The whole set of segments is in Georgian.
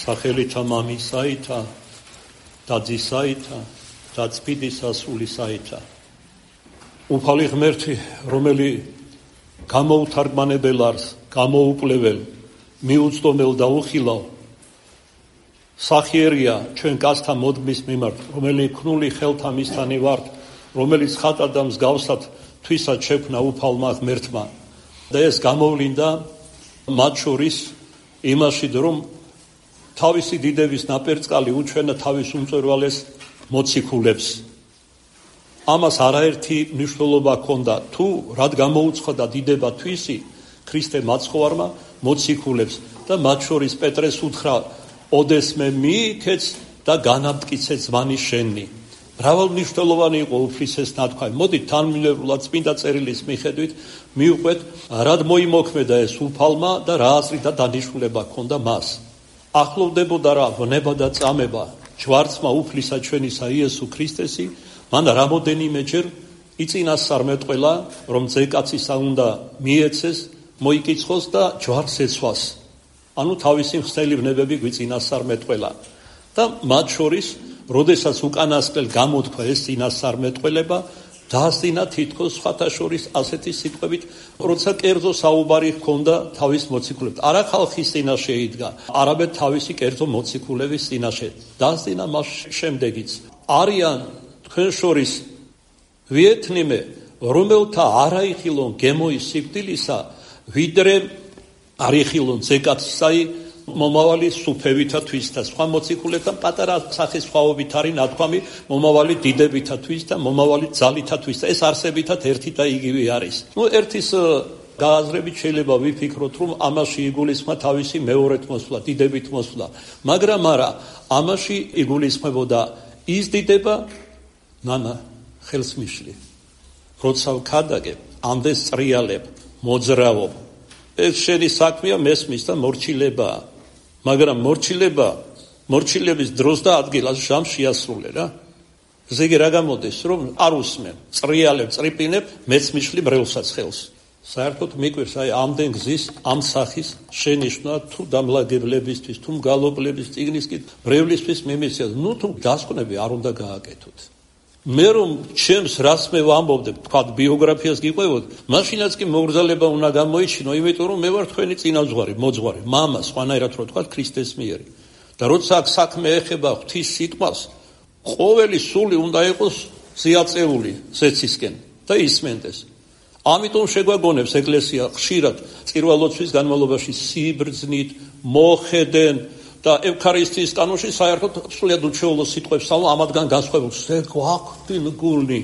სახელითა მამისაითა და ძისაითა და წმინდისა სულისაითა. უფალი ღმერთი, რომელი გამოუთარგმანებელ არს, გამოუკვლეველ, მიუწვდომელ და უხილავ, სახიერია ჩვენ კაცთა მოდგმის მიმართ, რომელი ქნული ხელთა მისთანი ვართ, რომელიც ხატად და მსგავსად თვისად შექმნა უფალმა ღმერთმა. და ეს გამოვლინდა მათ შორის იმაში, რომ თავისი დიდების ნაპერწკალი უჩვენა თავის უმწვერვალეს მოციქულებს. ამას არაერთი მნიშვნელობა ჰქონდა, თუ რად გამოუცხადა დიდება თვისი ქრისტე მაცხოვარმა მოციქულებს და მათ შორის პეტრეს უთხრა, ოდესმე მიიქეც და განამტკიცე ზმანი შენი. მრავალმნიშვნელოვანი იყო უფლის ნათქვამი. მოდით თანმიმდევრულად წმინდა წერილის მიხედვით მივყვეთ, რად მოიმოქმედა ეს უფალმა და რა აზრი და დანიშნულება ჰქონდა მას. ახლოვდებოდა რა ვნება და წამება ჯვარცმა უფლისა ჩვენისა იესო ქრისტესი, მან რამოდენიმეჯერ იწინასწარმეტყველა, რომ ძეკაცისა უნდა მიეცეს, მოიკიცხოს და ჯვარს ეცვას. ანუ თავისი მხსნელი ვნებები გვიწინასწარმეტყველა. და მათ შორის, როდესაც უკანასკნელ გამოთქვა ეს წინასწარმეტყველება, დაასწინა თითქოს სხვათა შორის ასეთი სიტყვებით, როცა კერძო საუბარი ჰქონდა თავის მოციქულებთან. არა ხალხის წინაშე იდგა, არამედ თავისი კერძო მოციქულების წინაშე. დაასწინა მას შემდეგიც. არიან თქვენ შორის ვიეთნიმე, რომელთა არაიხილონ გემოის სიკვდილისა, ვიდრე არიხილონ ძეკაცისაი მომავალი სუფევითა თვისთა. სხვა მოციქულებთან პატარა სახესხვაობით არის ნათქვამი მომავალი დიდებითა თვის და მომავალი ძალითა თვის. ეს არსებითად ერთი და იგივე არის. ერთის გააზრებით შეიძლება ვიფიქროთ, რომ ამაში იგულისხმა თავისი მეორეთ მოსვლა, დიდებით მოსვლა, მაგრამ არა, ამაში იგულისხმებოდა ის დიდება, ნანა ხელს მიშლი, როცა ვქადაგებ, ამდენს წრიალებ, მოძრავობ. ეს შენი საქმეა, მესმის და მორჩილებაა. მაგრამ მორჩილების დროს და ადგილას ჟამ შეასრულე რა. ესე იგი რა გამოდის, რომ არ უსმენ, წრიალებ, წრიპინებ, მეც მიშლი ბრელსაც ხელს. საერთოდ მიკვირს, აი ამდენ გზის, ამ სახის შენიშვნა თუ დამლაგებლებისთვის, თუ მგალობლების წიგნისკით, ბრევლისთვის მიმიცია. ნუ თუ დასკვნები არ უნდა გააკეთოთ. მე რომ ჩემს რას მე ვამბობდებ, თქვა ბიოგრაფიას გიყვევოთ, მაშინაც კი მოგრძალება უნდა გამოიჩინო, იმიტომ რომ მე ვარ თქვენი წინაზღვარი, მოძღვარი, მამა, სხვანაირად რო თქვა ქრისტეს მიერი. და როცა აქ საქმე ეხება ღვთის სიტყვას, ყოველი სული უნდა იყოს ზიაწეული ზეცისკენ და ისმენდეს. ამიტომ შეგვაგონებს ეკლესია ხშირად წირვალოცვის განმავლობაში სიბრძნით მოხედენ და ევქარისტიის კანონში საერთოდ სულიად უჩვეულო სიტყვებს ამათგან განსხვავებულს გვაქვს გულნი.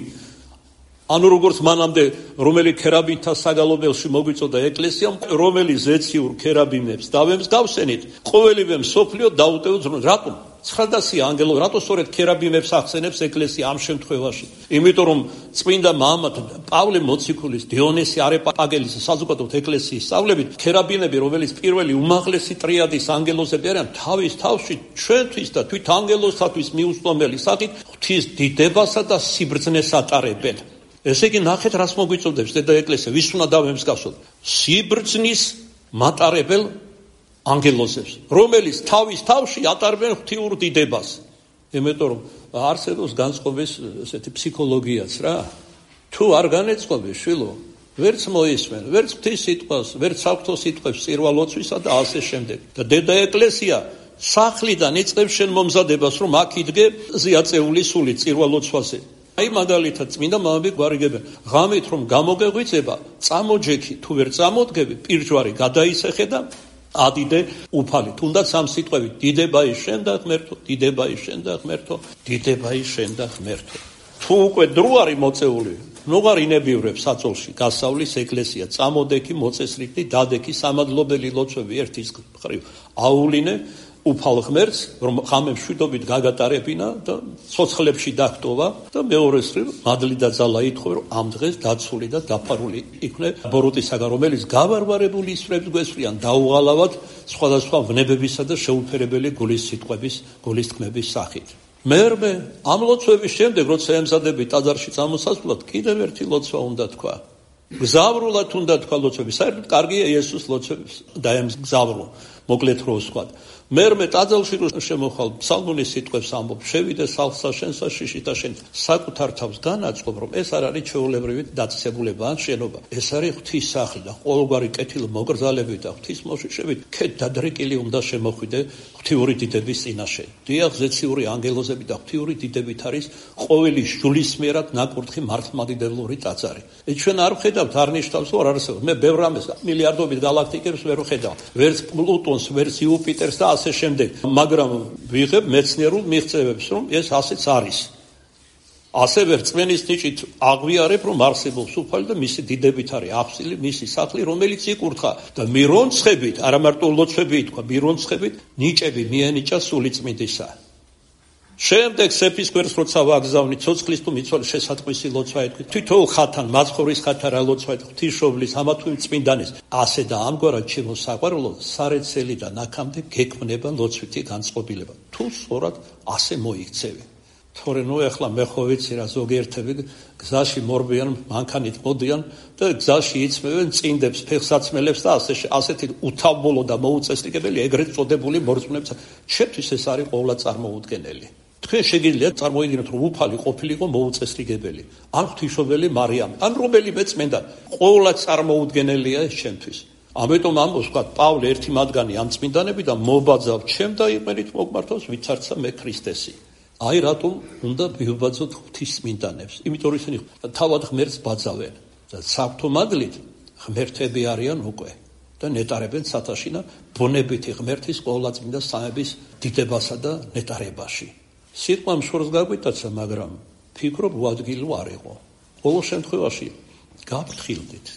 ანუ როგორც მანამდე რომელი ქერაბინთა საგალობელში მოგვიწოდა ეკლესიამ, რომელი ზეციურ ქერაბინებს დავემსგავსენით, ყოველივე მსოფლიო დაუტევს, რატომ 900 ანგელო, რატო სწორედ ქერაბინებს ახსენებს ეკლესია ამ შემთხვევაში? იმიტომ რომ წმინდა მამა პავლე მოციქულის, დიონისი არეპაგელის საზოგადოებრივ ეკლესიის სწავლებით, ქერაბინები, რომელიც პირველი უმაღლესი ტრიადის ანგელოზები არიან, თავის თავში ჩვენთვის და თვით ანგელოზთათვის მიუწვდომელი სახით ღვთის დიდებასა და სიბრძნეს ატარებენ. ესე იგი ნახეთ, რას მოგვიწოდებს დედა ეკლესია, ვის უნდა დავემსგავსოთ? სიბრძნის მატარებელ ანგელოზებს, რომელიც თავის თავში ატარებენ ღვთიურ დიდებას. იმიტომ რომ არსებობს განწყობის ესეთი ფსიქოლოგიაც რა. თუ არ განეწყობი შვილო, ვერც მოისმენ, ვერც ღვთის სიტყვას, ვერც საღვთო სიტყვებს წირვალოცვისა და ასე შემდეგ. და დედა ეკლესია სახლიდან იწყებს შენ მომზადებას, რომ აქ იდგე ზიაწეული სული წირვალოცვაზე. აი მაგალითად წმინდა მამები გვარიგებენ, ღამით რომ გამოგეღვიძება, წამოჯექი, თუ ვერ წამოდგები, პირჯვარი გადაისეხე და ადიდე უფალი. თუნდაც ამ სიტყვებით, დიდება ის შენ და ღმერთო, დიდება ის შენ და ღმერთო, დიდება ის შენ და ღმერთო. თუ უკვე დრო არის მოწეული, ნუღარ ინებივრებს საწოლში გასავლის ეკლესია, წამოდექი, მოწესრიგდი, დადექი, სამადლობელი ლოცვები ერთის მხრივ აულინე უფალ ღმერთს, რომ ღამე მშვიდობით გაგატარებინა და ცოცხლებში დაგტოვა და მეორეს მხრივ მადლი და ძალა ითხოვე, რომ ამ დღეს დაცული და დაფარული იქნე ბოროტისაგან, რომელიც გავარვარებული ისვრებს გვესვრიან დაუღალავად სხვადასხვა ვნებებისა და შეუფერებელი გულის სიტყვების, გულის თქმების სახით. მერმე ამ ლოცვების შემდეგ, როცა ემზადები ტაძარში წამოსასვლად, კიდევ ერთი ლოცვა უნდა თქვა. გზავრულად უნდა თქვა ლოცვები. საერთოდ კარგია იესოს ლოცვებს დაემგზავრო, მოკლედ რო ვსვათ. მერმე ტაძარში რო შემოხვალ ფსალმუნის სიტყვებს ამბობ, შევიდე სახლსა შენსა შიშით და შენ საკუთარ თავს განაწყობ, რომ ეს არ არის ჩვეულებრივი დაწესებულება ან შენობა. ეს არის ღვთის სახლი და ყოველგვარი კეთილი მოგრძალებით და ღვთის მოშიშებით ქეთ დადრეკილი უნდა შემოხვიდე ღვთიური დიდების წინაშე. დიახ, ზეციური ანგელოზები და ღვთიური დიდებით არის ყოველი შულისმიერად ნაკურთხი მართლმადიდებლური ტაძარი. ჩვენ არ ვხედავთ, არ ნიშნავს, რომ არ არსებობს. მე ბევრ რამეს მილიარდობით galaktikებს ვერ ვხედავ. ვერც პლუტონს, ვერც იუპიტერს და ასე შემდეგ. მაგრამ ვიღებ მეცნიერულ მიღწევებს, რომ ეს ასეც არის. ასევე რწმენის ნიჭით აღვიარებ, რომ არსებობს უფალი და მისი დიდებით არის აფსილი, მისი სახლი, რომელიც იკურთხა და მირონცხებით, არა მარტო ლოცვები ითქვა, მირონცხებით ნიჭები მიენიჭა სულიწმინდისა. შემდეგ სეფის გვერდს როცა ვაგზავნით, ცოცხლის თუ მიცვალის შესატყვისი ლოცვა ეთქვი, თითოეულ ხათან, მაცხოვრის ხათან რა ლოცვა ეთქვი, ღვთისმშობლის, ამა თუ იმ წმინდანის. ასე და ამგვარად ჩემო საყვარელო, სარეცელი და ნაქამდე გექმნება ლოცვითი განწყობილება. თუ სწორად ასე მოიქცევი. თორე ნუ ეხლა მე ხო ვიცი რა ზოგიერთები გზაში მორბიან, მანქანით მოდიან და გზაში იწმევენ წინდებს, ფეხსაცმელებს და ასეთი უთავბოლო და მოუწესრიგებელი ეგრეთ წოდებული მორწმუნეებს. ჩემთვის ეს არის ყოვლა წარმოუდგენელი. თქვენ შეგიძლიათ წარმოიდგინოთ, რომ უფალი ყოფილიყო მოუწესრიგებელი, ან ღვთისმშობელი მარიამი, ან რომელიმე წმინდანი. ყოვლა წარმოუდგენელია ეს ჩემთვის. ამიტომ ამბობს თქვა პავლე ერთი მათგანი ამ წმინდანები და მობაძავ ჩემ და იყენით მოგმართავს ვიცარცა მე ქრისტესი. აი რატომ უნდა ვიბაძოთ ღვთის წმინდანებს? იმიტომ რომ ისინი თავად ღმერთს ბაძავენ და საღვთო მადლით ღმერთები არიან უკვე და ნეტარებენ სათაშინა ბუნებითი ღმერთის ყოვლადწმინდა სამების დიდებასა და ნეტარებაში. სიტყვა მშორს გაგვიტაცა, მაგრამ ფიქრობ უადგილო არ იყო. ყოველ შემთხვევაში გაფრთხილდით.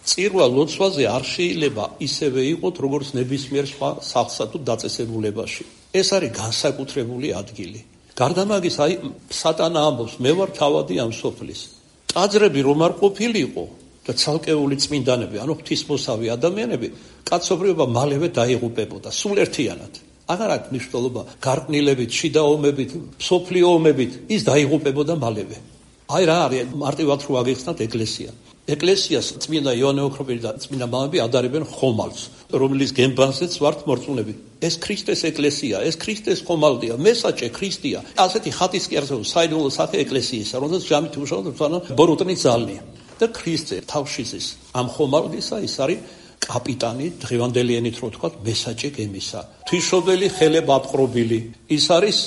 წირვა ლოცვაზე არ შეიძლება ისევე იყოთ, როგორც ნებისმიერ სხვა სახლსა თუ დაწესებულებაში. ეს არის განსაკუთრებული ადგილი. გარდა მაგის, აი სატანა ამბობს, მე ვარ თავადი ამ სოფლის. ტაძრები რომ არ ყოფილიყო და ცალკეული წმინდანები, ანუ ღვთისმოსავი ადამიანები, კაცობრიობა მალევე დაიღუპებოდა, სულ ერთიანად. აღარ აქვს მნიშვნელობა გარყნილებით, შიდა ომებით, მსოფლიო ომებით, ის დაიღუპებოდა მალევე. აი რა არის მარტივად რო აგიხსნათ ეკლესია. ეკლესიას წმინდა იოანე ოქროპირი და წმინდა მამები ადარებენ ხომალდს, რომლის გემბანზეც ვართ მორწმუნები. ეს ქრისტეს ეკლესია, ეს ქრისტეს ხომალდია, მესაჭე ქრისტია. ასეთი ხატის კი არსებობს საიდუმლო სახე ეკლესიისა, რომელსაც ჯამით უშავთ თვალა ბოროტნის ძალნი. და ქრისტე თავშიზის ამ ხომალდისა ის არის კაპიტანი, დღევანდელი ენით რო თქვა, მესაჭე გემისა. ღვთისმშობელი ხელებ აპყრობილი. ის არის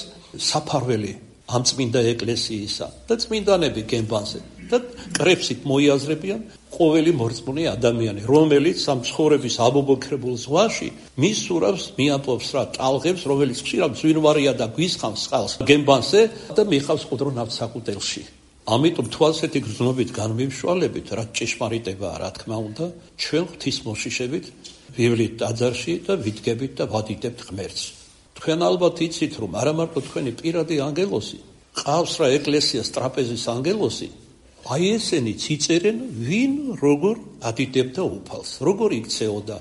საფარველი ამ წმინდა ეკლესიისა და წმინდანები გემბანზე. და კრებსით მოიაზრებიან ყოველი მორწმუნე ადამიანი, რომელიც ამ ცხოვრების აბობოქრებულ ზღვაში მის სურავს მიაპოვს რა ტალღებს, რომელიც ხშირად ზვინვარია და გვისხამს წყალს გემბანზე და მიხავს ყუდრო ნავთსაყუდელში. ამიტომ თუ ასეთი გრძნობით განმიმშვალებით, რა ჭეშმარიტებაა, რა თქმა უნდა, ჩვენ ღვთისმოშიშებით ვივლით ტაძარში და ვიდგებით და ვადიდებთ ღმერთს. თქვენ ალბათ იცით, რომ არა მარტო თქვენი პირადი ანგელოზი, ყავს რა ეკლესიას ტრაპეზის ანგელოზი, აი ესენი ციწერენ ვინ როგორ ადიდებდა უფალს, როგორ იქცეოდა,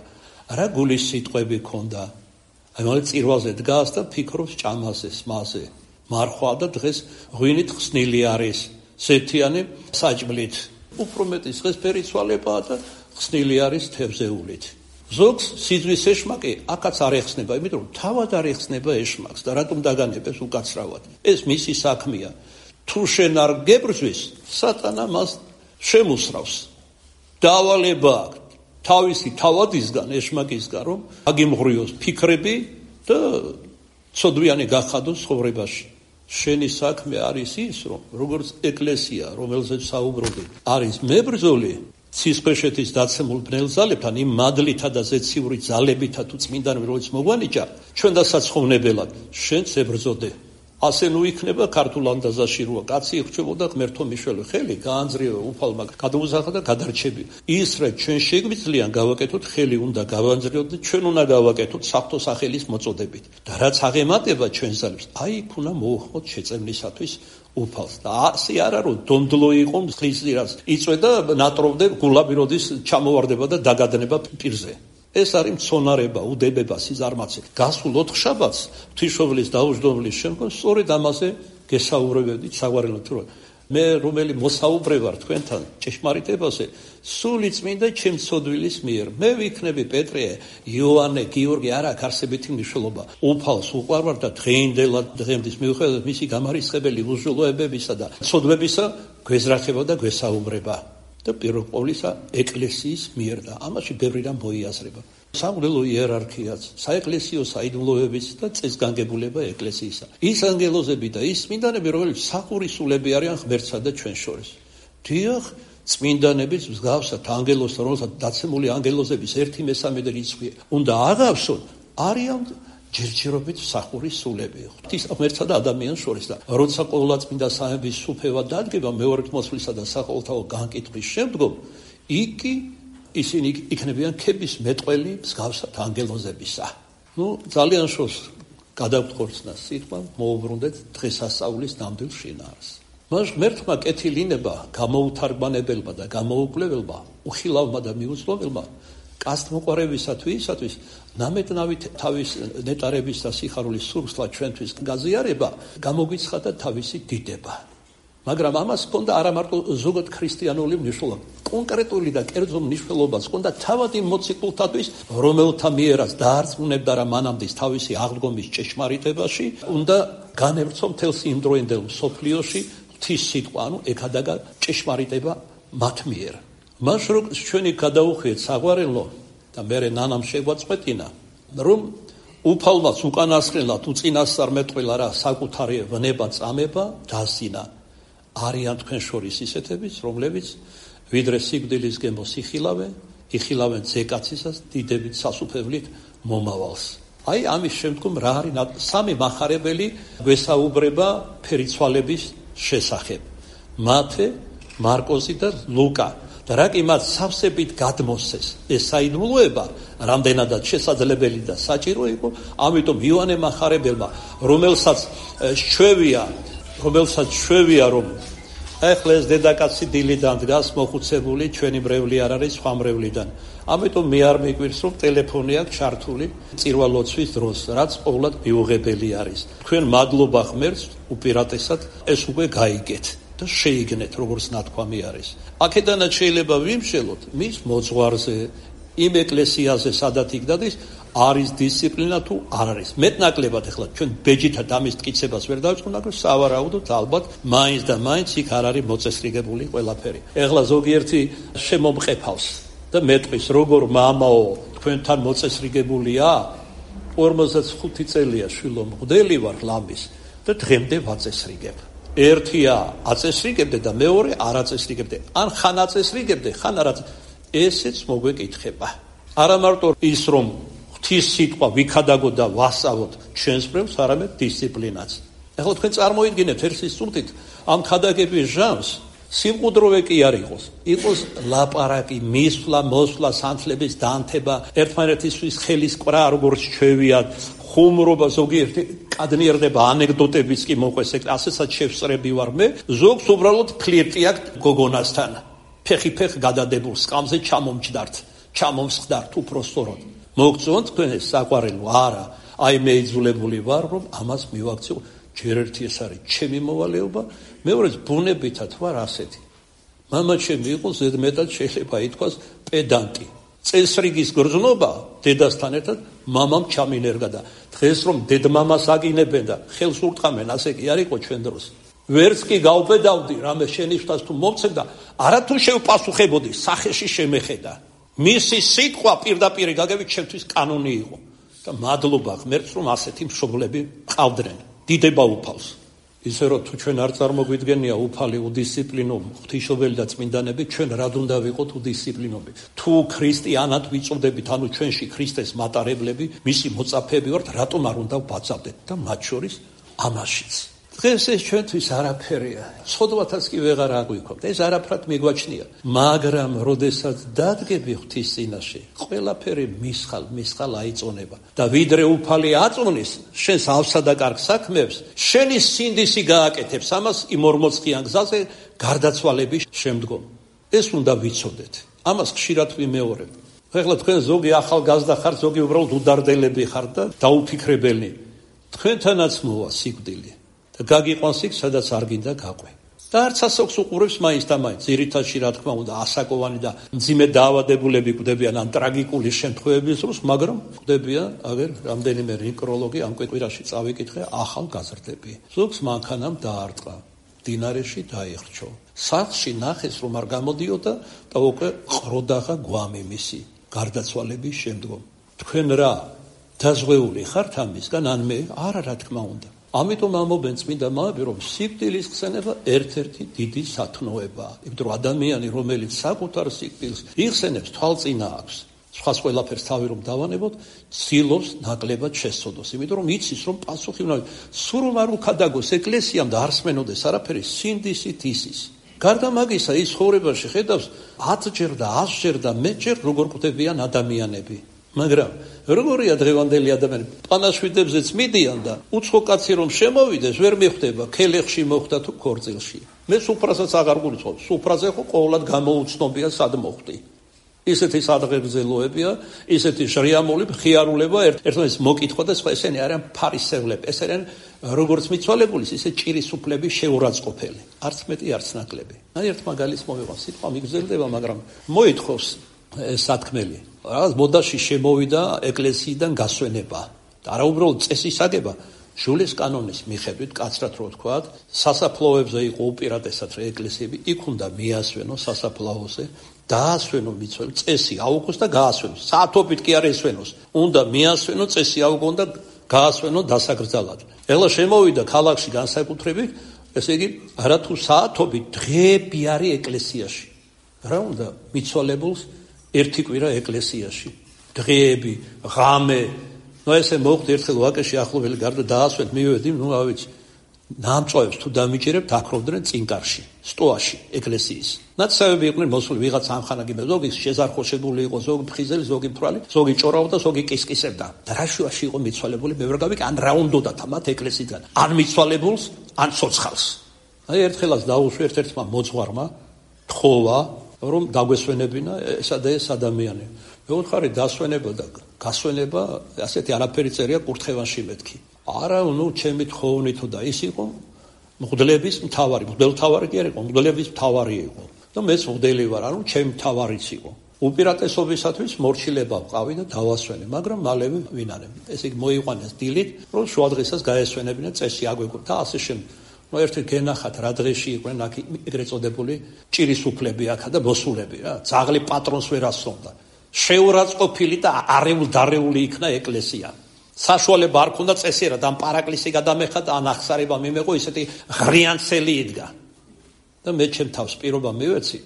რა გულის სიტყვები ქონდა. აი მალე წირვალზე დგას და ფიქრობს ჭამაზე, სმაზე. მარხვა და დღეს ღვინით ხსნილი არის, სეთიანი საჭმლით. უფრო მეტი სღესფერი ცვალებაა და ხსნილი არის თევზეულით. ზოგს სიძვის ეშმაკი აქაც არ ეხსნება, იმიტომ რომ თავად არ ეხსნება ეშმაკს და რატომ დაგანებებს უკაცრავად. ეს მისი საქმეა. თუ შენ არ გებრძვის, სატანა მას შემოსრავს. დავალება აქვს თავისი თავადისგან, ეშმაკისგან, რომ აგიმღრიოს ფიქრები და ცოდვიანი გახადოს ცხოვრებაში. შენი საქმე არის ის, რომ როგორც ეკლესია, რომელზეც საუბრობდი, არის მებრძოლი ცისქვეშეთის დაცემულ ბნელ ძალებთან, იმ მადლითა და ზეციური ძალებითა თუ წმინდანები, რომელიც მოგვანიჭა, ჩვენ და საცხოვნებელად, შენც ებრძოდე. ასე ნუ იქნება ქართულ ანდაზაში როა კაცი იხჩებოდა ღმერთო მიშველე ხელი გაანძრიო უფალმა გადაუსახა და გადარჩები. ის რა ჩვენ შეგვიძლიან გავაკეთოთ ხელი უნდა გავანძრიოთ და ჩვენ უნდა გავაკეთოთ საფრთხო სახელის მოწოდებით. და რაც აღემატება ჩვენ ძალებს, აი იქ უნდა მოუხმოთ შეწევნისათვის უფალს. და ასე არა რომ დონდლო იყო ხლისძირას იწვედა ნატროვდე გულაბი როდის ჩამოვარდება და დაგადნება პირზე. ეს არის მცონარება, უდებება, სიზარმაცე. გასულ 4 შაბათს ღვთისმშობლის დაუჯდომლის შემდგომ სწორედ ამაზე გესაუბრებდით საგვარელოდ, რომ მე რომელი მოსაუბრე ვარ თქვენთან ჭეშმარიტებაზე, სული წმინდა ჩემ ცოდვილის მიერ. მე ვიქნები პეტრე, იოანე, გიორგი, არ აქვს არსებითი მნიშვნელობა. უფალს უყვარვარ და დღეინდელად დღემდის მიუხედავად მისი გამარისხებელი უზრუნველობებისა და ცოდვებისა გვეზრახება და გვესაუბრება. და პირველ ყოვლისა ეკლესიის მიერ და ამაში ბევრი რამ მოიაზრება. სამღვდელო იერარქიაც, საეკლესიო საიდუმლოებიც და წესგანგებულება ეკლესიისა. ის ანგელოზები და ის წმინდანები, რომლებიც სახურისულები არიან ღმერთსა და ჩვენ შორის. დიახ, წმინდანებიც მსგავსად ანგელოზთან, რომელსაც დაცემული ანგელოზების 1/3 რიცხვი უნდა აღავსოთ, არიან ჯერჯერობით სახურისულები. ღვთის ღმერთსა და ადამიანს შორის და როცა ყოვლადწმინდა სამების სუფევა დადგება მეორე მოსვლისა და საყოველთაო განკითხვის შემდგომ, იქ ისინი იქნებიან ქების მეტყველი მსგავსად ანგელოზებისა. ძალიან შორს გადავთხოვნა სიტყვა, მოუბრუნდეთ დღესასწაულის ნამდვილ შინაარს. მას ღმერთმა კეთილინება გამოუთარგმანებელმა და გამოუკვლეველმა, უხილავმა და მიუწვდომელმა კაცთმოყვარებისათვის ნამეტნავით თავის ნეტარების და სიხარულის სურსლა ჩვენთვის გაზიარება გამოგვიცხადა თავისი დიდება. მაგრამ ამას ჰქონდა არა მარტო ზოგად ქრისტიანული მნიშვნელობა, კონკრეტული და კერძო მნიშვნელობაც ჰქონდა თავადი მოციქულთათვის, რომელთა მიერაც დაარწმუნებდა რა მანამდის თავისი აღდგომის ჭეშმარიტებაში, უნდა განევრცო მთელს იმ დროინდელ მსოფლიოში ღვთის სიტყვა, ეკადაგა ჭეშმარიტება მათ მიერ. მას რო ჩვენი გადაუხვიეთ საყვარელო და მერე ნანამ შეგვაწყვეტინა, რომ უფალმაც უკანასკნელად უწინასწარ მეტყველა რა საკუთარი ვნება წამება დასინა. არიან თქვენ შორის ისეთებიც, რომლებიც ვიდრე სიკვდილის გემოს იხილავენ ზეკაცისას დიდებით სასუფევლით მომავალს. აი ამის შემდგომ რა არის სამი მახარებელი გვესაუბრება ფერიცვალების შესახებ. მათე, მარკოზი და ლუკა. და რა კი მათ სავსებით გადმოსცეს ეს საიდუმლოება, რამდენადაც შესაძლებელი და საჭირო იყო, ამიტომ იოანე მახარებელმა, რომელსაც შვევია რომ ეხლა ეს დედაკაცი დილიდან დგას მოხუცებული, ჩვენი მრევლი არ არის სხვა მრევლიდან. ამიტომ მე არ მიგვირს რომ ტელეფონი აქვს ჩართული წირვალოცვის დროს, რაც ყოვლად მიუღებელი არის. თქვენ მადლობა ღმერთს უპირატესად ეს უკვე გაიგეთ და შეიგნეთ, როგორც ნათქვამი არის. აქედანაც შეიძლება ვიმშელოთ მის მოძღვარზე, იმ ეკლესიაზე, სადაც იქ დადის, არის დისციპლინა თუ არ არის. მეტნაკლებად ახლა ჩვენ ბეჯითად ამის მტკიცებას ვერ დავიწყოთ, მაგრამ სავარაუდოდ ალბათ მაინც და მაინც იქ არ არის მოწესრიგებული ყველაფერი. ახლა ზოგიერთი შემომყეფავს და მეტყვის, როგორ მამაო, თქვენთან მოწესრიგებულია? 45 წელია შვილო მღვდელი ვარ ლამის და დღემდე ვაწესრიგებ. ერთია აწესრიგებდე და მეორე არ აწესრიგებდე. ან ხან აწესრიგებდე, ხან არ ესეც მოგვეკითხება. არა მარტო ის რომ ღვთის სიტყვა ვიქადაგოთ და ვასწავლოთ ჩვენს მრევლს, არამედ დისციპლინაც. ახლა თქვენ წარმოიდგინეთ ერთის წუთით ამ ქადაგების ჟამს სიმყუდროვე კი არ იყოს ლაპარაკი, მისვლა, მოსვლა, სანთლების დანთება, ერთმანეთისთვის ხელის კვრა, როგორც ჩვევიათ, ხუმრობა, ზოგიერთი კადნიერდება, ანეკდოტებიც კი მოყვეს, ასეცად შევსწრები ვარ მე, ზოგს უბრალოდ ფლირტი აქვს გოგონასთან. ფეხი გადადებულ სკამზე ჩამომსხდართ უпроსტოროდ. მოგწონთ თქვენ ეს საყვარელო? არა. აი მე იძულებული ვარ, რომ ამას მივაქციო. ჯერ ერთი ეს არის ჩემი მოვალეობა, მეორეც ბუნებითად ვარ ასეთი. მამა ჩემი იყო ზედმეტად შეიძლება ითქვას პედანტი. წესრიგის გრძნობა დედასთან ერთად მამამ ჩამინერგა და დღეს რომ დედმამას აგინებენ და ხელს ურტყამენ, ასე კი არ იყო ჩვენ დროს. ვერც კი გავბედავდი რამე შენიშვნას თუ მომცემ და არა თუ შევპასუხებოდი, სახეში შემეხედა. მისი სიტყვა პირდაპირ გაგებით ჩემთვის კანონი იყო და მადლობა ღმერთს რომ ასეთი მშობლები ყავდნენ. დიდება უფალს. ისე რომ თუ ჩვენ არ წარმოგვიდგენია უფალი უდისციპლინო ღვთისმშობელი და წმინდანები, ჩვენ რად უნდა ვიყოთ უდისციპლინოები? თუ ქრისტიანად ვიწოდებით, ანუ ჩვენში ქრისტეს მატარებლები, მისი მოწაფეები ვართ, რატომ არ უნდა ვბაძავდეთ და მათ შორის ამაშიც. დღეს ეს ჩვენთვის არაფერია. ცოდვათაც კი ვეღარ აგვიქვამთ. ეს არაფრად მიგვაჩნია. მაგრამ როდესაც დადგები ღვთის წინაშე, ყველაფერი მისხალ აიწონება. და ვიდრე უფალი აწონის შენს ავსა და კარგ საქმეებს, შენი სინდისი გააკეთებს ამას იმ 40 გზაზე გარდაცვალების შემდგომ. ეს უნდა ვიცოდეთ. ამას ხშირად ვიმეორებ. ეხლა თქვენ ზოგი ახალგაზრდა ხართ, ზოგი უბრალოდ უდარდელები ხართ და დაუფიქრებელნი. თქვენთანაც მოვა სიკვდილი. გაგიყვანს იქ, სადაც არ გინდა გაყვე. და არც ასოქს უყურებს მაინც და მაინც. ძირითადში რა თქმა უნდა ასაკოვანი და მძიმე დაავადებულები კვდებიან ან ტრაგიკული შემთხვევების დროს, მაგრამ კვდებიან აგერ რამდენიმე ნეკროლოგი ამ კვირაში წავიკითხე ახალგაზრდები. ზოგს მანქანამ დაარტყა, მდინარეში დაიხრჩო. სახლში ნახეს რომ არ გამოდიოდა და უკვე ყროდაღა გვამი მისი გარდაცვალების შემდგომ. თქვენ რა დაზღვეული ხართ ამისგან ან მე? არა, რა თქმა უნდა. ამიტომ ამობენ წმინდა მამები, რომ სიკვდილის ხსენება ერთ-ერთი დიდი სათნოებაა. იმიტომ რომ ადამიანი, რომელიც საკუთარ სიკვდილს იხსენებს, თვალწინა აქვს. სხვას ყველაფერს თავი რომ დავანებოთ, ცდილობს ნაკლებად შესწოდოს. იმიტომ რომ იცის, რომ პასუხი უნდა სულ არ უქადაგოს ეკლესიამ და არ სმენოდეს არაფერი, სინდისით ისის. გარდა მაგისა, ის ცხოვრებაში ხედავს 10-ჯერ და 100-ჯერ და 100-ჯერ როგორ კვდებიან ადამიანები. მაგრამ როგორია დღევანდელი ადამიანები? პანაშვიდებზეც მიდიან და უცხო კაცი რომ შემოვიდეს, ვერ მიხვდება ქელეხში მოხდა თუ ქორწილში. მე სუფრასაც აღარ გულისხმობ. სუფრაზე ხო ყოველად გამოუცნობია სად მოხდი. ისეთი სადღეგრძელოებია, ისეთი შრიამული მხიარულება, ერთმანეთს მოკითხვა და სხვა. ესენი არიან ფარისევლები, ეს არიან როგორც მიცვალებულის, ისე ჭირისუფლების შეურაცხყოფელი. არც მეტი, არც ნაკლები. ერთ მაგალითს მოვიღო, სიტყვა მიგრძელდება, მაგრამ მოითხოვს ეს სათქმელი. რაღაც მოდაში შემოვიდა ეკლესიიდან გასვენება. არა უბრალოდ წესის აგება, ჟულის კანონის მიხედვით, კაცრად რო ვთქვათ, სასაფლაოებზე იყო უპირატესად ეკლესიები, იქ უნდა მიასვენო სასაფლაოზე, დაასვენო მიცვალებულს, წესი აუგოს და გაასვენოს. საათობით კი არ ესვენოს. უნდა მიასვენო, წესი აუგონ და გაასვენო დასაკრძალად. ეხლა შემოვიდა ქალაქში განსაკუთრებით, ესე იგი, არათუ საათობით დღეები არის ეკლესიაში. რა უნდა მიცვალებულს ერთი კვირა ეკლესიაში. დღეები, ღამე. ნუ ესე მოხდა ერთხელ ვაკეში ახლობელი გარდა დაასვენეთ, მივედი, ნუ ავიცი. ნამწვავებს თუ დამიჭერებთ, აკროვდნენ წინკარში, სტოაში, ეკლესიის. ნაცავები იყვნენ მოსული, ვიღაც ამხანაგებდა, ზოგი შეზარხოშებული იყო, ზოგი ფხიზელი, ზოგი მთვრალი, ზოგი ჭორავდა, ზოგი კისკისებდა. და რა შუაში იყო მიცვალებული, მე ვერ გავიგე, ან რა უნდათ მათ ეკლესიიდან, ან მიცვალებულს, ან ცოცხალს. აი ერთხელაც დაუშვი ერთ-ერთმა მოძღვარმა, თხოვა, რომ დაგვესვენებინა ესა და ეს ადამიანი. მეუთხარი დასვენება და გასვენება, ასეთი არაფერი წერია კურთხევანში მეთქი. არა, ნუ ჩემი თხოვნითო და ის იყო მღვდლების მთავარი, მღვდელმთავარი კი არ იყო, მღვდლების მთავარი იყო. და მეც მღვდელი ვარ, ანუ ჩემი მთავარიც იყო. უპირატესობისათვის მორჩილება ვყავი და დავასვენე, მაგრამ მალევე ვინარე. ესე იგი მოიყვანეს დილით, რომ შუადღესაც გაესვენებინა, წესი აგვეკვა და ასე შემდეგ. ნუ ერთი გენახათ რა დღეში იყვნენ აქ ეგრეთ წოდებული ჭირისუფლები აქა და მოსულები რა. ძაღლი პატრონს ვერ ასწონდა. შეურაცხყოფილი და არეული იქნა ეკლესია. საშუალება არ ქონდა წესიერად ამ პარაკლისი გადამეხადა, ან ახსარება მიმეყო, ისეთი ღრიანცელი იდგა. და მე ჩემ თავს პირობა მივეცი,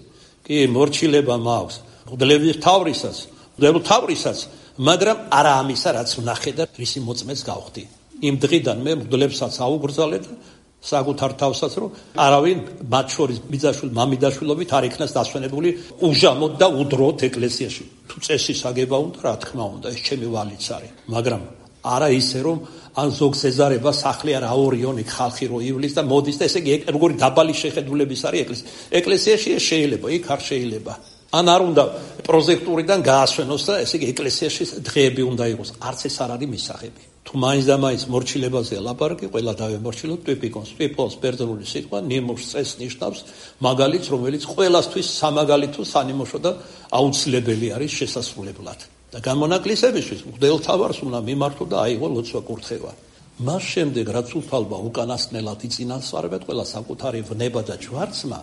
კი მორჩილება მაქვს მღვდლების მთავრისაც, მაგრამ არა ამისა, რაც ვნახე და რისი მოწმეს გავხდი. იმ დღიდან მე მღვდლებსაც აუგრძალე და საკუთარ თავსაც, რომ არავინ მათ შორის მამიდაშვილობით არ იქნას დასვენებული უჟამოდ და უდროოდ ეკლესიაში. თუ წესის აგება უნდა, რა თქმა უნდა, ეს ჩემი ვალიც არის, მაგრამ არა ისე, რომ ან ზოგს ეზარება სახლი არ აორიონი ხალხი რო ივლის და მოდის და ესე იგი როგორი დაბალი შეხედულების არის ეკლესიაში ეს შეიძლება, იქ არ შეიძლება. ან არ უნდა პროჟექტურიდან გაასვენოს და ესე იგი ეკლესიაში დღეები უნდა იყოს. არც ეს არ არის მისაღები. თუ მაინც და მაინც მორჩილებაზე ლაპარაკი, ყველა დავემორჩილოთ ტვიპიკონს. ტვიპოს ბერძნული სიტყვა ნიმუშს წესს ნიშნავს, მაგალითს, რომელიც ყველასთვის სამაგალითო, სანიმუშო და აუცილებელი არის შესასრულებლად. და გამონაკლისებისთვის მღვდელმთავარს უნდა მიმართო და აიღო ლოცვა კურთხევა. მას შემდეგ რაც უფალმა უკანასკნელად იწინასწარებად ყველა საკუთარი ვნება და ჯვარცმა,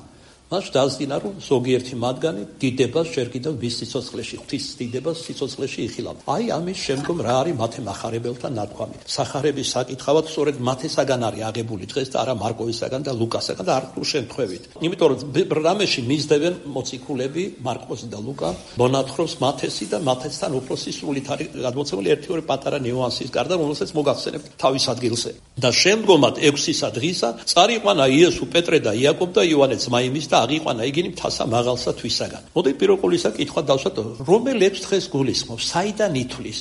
მას დაასდინა, რომ ზოგიერთი მათგანი დიდებას ჯერ კიდევ მის სიცოცხლეში, ღვთის დიდებას სიცოცხლეში იხილავდა. აი ამის შემდგომ რა არის მათე მახარებელთა ნათქვამი. სახარების საკითხავად სწორედ მათესაგან არის აღებული დღეს და არა მარკოვისაგან და ლუკასაგან და არ თუ შემთხვევით. იმიტომ რომ რამეში მისდევენ მოციქულები, მარკოზი და ლუკა, მონათხრობს მათესი და მათესთან უფრო სისრულით არის გადმოცემული ერთი-ორი პატარა ნიუანსის გარდა, რომელსაც მოგახსენებთ თავის ადგილზე. და შემდგომად 6-ისა დღისა წარიყვანა იესო, პეტრე და იაკობ და იოანე ძმაიმის და აღიყვანა იგინი მთასა მაღალსა თვისაგან. მოდი პიროკულისა კითხვა დავსვათ, რომელ 6 დღეს გულისხმობს, საიდან ითვლის?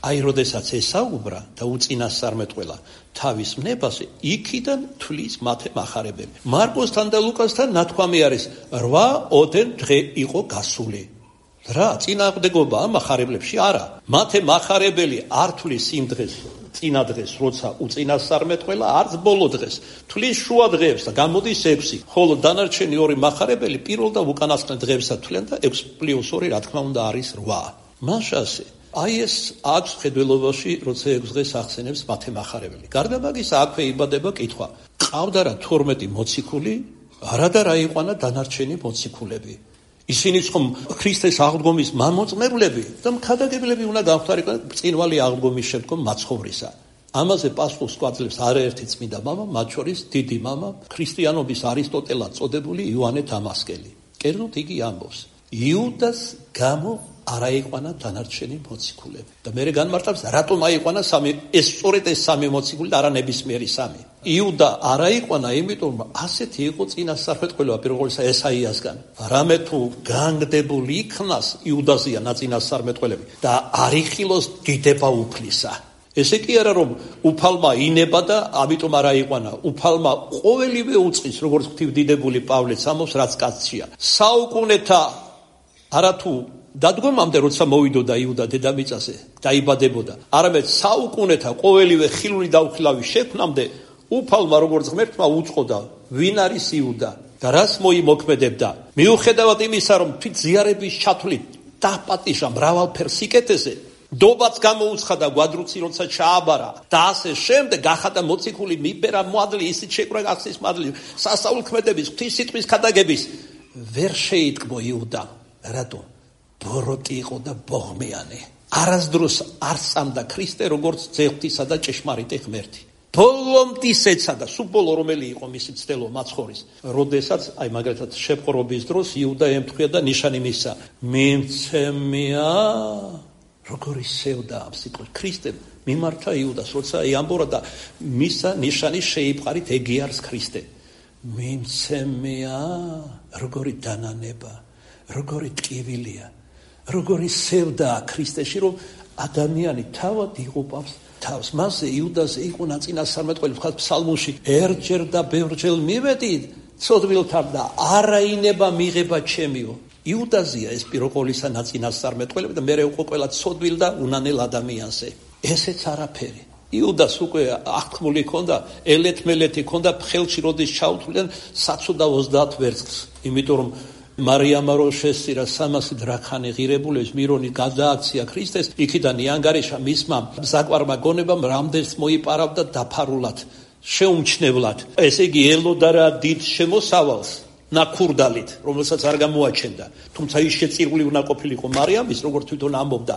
აი, როდესაც ესაუბრა და უწინასწარმეტყველა თავის ვნებაზე, იქიდან თვლის მათე მახარებელი. მარკოსთან და ლუკასთან ნათქვამი არის 8-10 დღე იყო გასული. რა წინააღმდეგობა ამ მახარებლებში არა. მათე მახარებელი არ თulis იმ დღეს, წინა დღეს, როცა უწინასწარმეტყველა, არც ბოლო დღეს. თulis შუა დღეებს და გამოდის 6, ხოლო დანარჩენი 2 მახარებელი პირველ და უკანასკნელ დღეებსაც თვლიან და 6+2 რა თქმა უნდა არის 8. მაშასე აი ეს აქვს ხედველობაში, როცა 6 დღეს ახსენებს მათე მახარებელი. გარდა მაგისა, აქვე იბადება კითხვა: ყავდა რა 12 მოციქული, არა და რა იყვანა დანარჩენი მოციქულები? ისინიც ხომ ქრისტეს აღდგომის მამოწმებლები და მქადაგებლები უნდა გამხდარიყო წინვალი აღდგომის შემდგომ მაცხოვრისა. ამაზე პასუხს გვაძლევს არაერთი წმინდა მამა, მათ შორის დიდი მამა, ქრისტიანობის არისტოტელად წოდებული იოანე დამასკელი. კერძოდ იგი ამბობს: იუდას გამო არ აიყვანა დანარჩენი მოციქულები. და მერე განმარტავს, რატომ აიყვანა ეს სწორედ ეს 3 მოციქული და არა ნებისმიერი 3. იუდა არ აიყვანა, იმიტომ რომ ასეთი იყო წინასწარმეტყველება პირველ ყოვლისა ესაიასგან. რამე თუ განგდებული იქნას იუდაზია ნაწინასწარმეტყველები და არ იხილოს დიდება უფლისა. ესე კი არა რომ უფალმა ინება და ამიტომ არ აიყვანა. უფალმა ყოველივე უწყის, როგორც ღვთივდიდებული პავლეც ამბობს, რაც კაცია. საუკუნეთა არათუ დადგომამდე, როცა მოვიდოდა იუდა დედამიწაზე, დაიბადებოდა, არამედ საუკუნეთა ყოველივე ხილული და უხილავი შექმნამდე უფალმა როგორც ღმერთმა უწყოდა, ვინ არის იუდა და რას მოიმოქმედებდა. მიუხედავად იმისა, რომ თვით ზიარების ჩათვლით დაპატიჟა მრავალფერ სიკეთეზე, დობაც გამოუცხადა გვადრუცი, როცა ჩააბარა და ასე შემდეგ, გახადა მოციქული, მიბერა მოადლი, ისიც შეკრა გახსნის მადლი, სასაულქმედების, ღვთისმსიტყვის ქადაგების, ვერ შეიტკბო იუდა. რატომ? ბოროტი იყო და ბოღმიანი. არასდროს არ სწამდა ქრისტე, როგორც ძეღვთისა და ჭეშმარიტი ღმერთი. ბოლომდის ეცადა, სუბოლო რომელი იყო მისი ცდელო მაცხოვრის, როდესაც აი მაგალითად შეპყრობის დროს იუდა ემთხვია და ნიშანი მისცა: მიმცემია. როგორი სევდა ამ სიტყვით ქრისტემ მიმართა იუდას, როცა ამბორა და მისა ნიშანი შეიპყარით ეგიარს ქრისტე. მიმცემია, როგორი დანანება, როგორი ტკივილია, როგორი სევდა ქრისტეში, რომ ადამიანი თავად იღუპავს თავს. მასზე იუდაზე იყო ნაწინასწარმეტყველი, ვთქვათ ფსალმუნში: ერთჯერ და ბევრჯერ მივედი ცოდვილთან და არაინება მიღება ჩემიო. იუდაზია ეს პიროყოლისა ნაწინასწარმეტყველები და მერე უკვე ყველა ცოდვილ და უნანელ ადამიანზე. ესეც არაფერი. იუდას უკვე აღთქმული ჰქონდა, ელეთ-მელეთი ჰქონდა, ხელში როდის ჩაუთვლიან საცოდა 30 ვერცხლს, იმიტომ რომ მარიამა რო შესწირა 300 დრაქანი ღირებულების მირონი გადააქცია ქრისტეს, იქიდან იანგარიშა მისმა საკვარმა გონებამ რამდენს მოიპარავდა დაფარულად, შეუმჩნევლად. ესე იგი ელოდა რა დიდ შემოსავალს ნაკურდალით, რომელსაც არ გამოაჩენდა. თუმცა ის შეწირული უნდა ყოფილიყო მარიამის, როგორც თვითონ ამბობდა.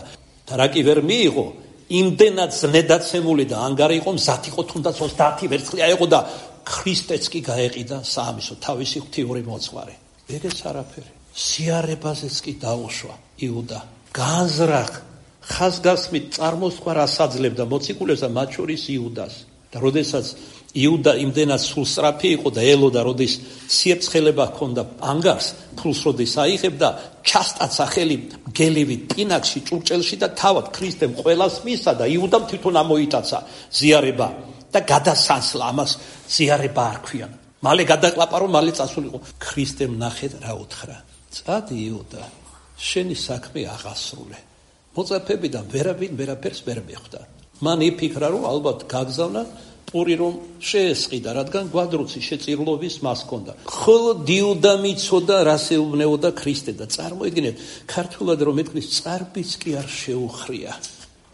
და რა კი ვერ მიიღო, იმდენად ზნედაცემული და ანგარი იყო, მზად იყო თუნდაც 30 ვერცხლი აეღო და ქრისტეც კი გაეყიდა საამისო თავისი ღვთიური მოძღვარი. ეგეც არაფერი. სიარებაზეც კი დაუშვა იუდა. განზრახ ხაზგასმით წარმოსხვა ასაძლებდა მოციქულებს და მათ შორის იუდას. და როდესაც იუდა იმდენად სულსწრაფი იყო და ელოდა, როდის სიებცხელება ჰქონდა ანგარს, ფულს როდის აიღებდა, ჩასტაცა ხელი გელივით პინაკში, ჭურჭელში და თავად ქრისტემ ყველას მისცა და იუდამ თვითონ ამოიტაცა ზიარება და გადასანსლა, ამას ზიარება არ ქვიან. მალე გადაკლაპარო, მალე წასულიყო. ქრისტემ ნახეთ რა უთხრა: წადი იუდა, შენი საქმე აღასრულე. მოწაფებიდან ვერაფერს ვერ მიხვდა. მან იფიქრა, რომ ალბათ გაგზავნა პური რომ შეესყიდა, რადგან გვადრუცი შეწირლობის მას ჰქონდა. ხოლო იუდა მიცოდა რას ეუბნეოდა ქრისტე და წარმოიდგინეთ, ქართულად რომ ეთქვის, წარბიც კი არ შეუხრია.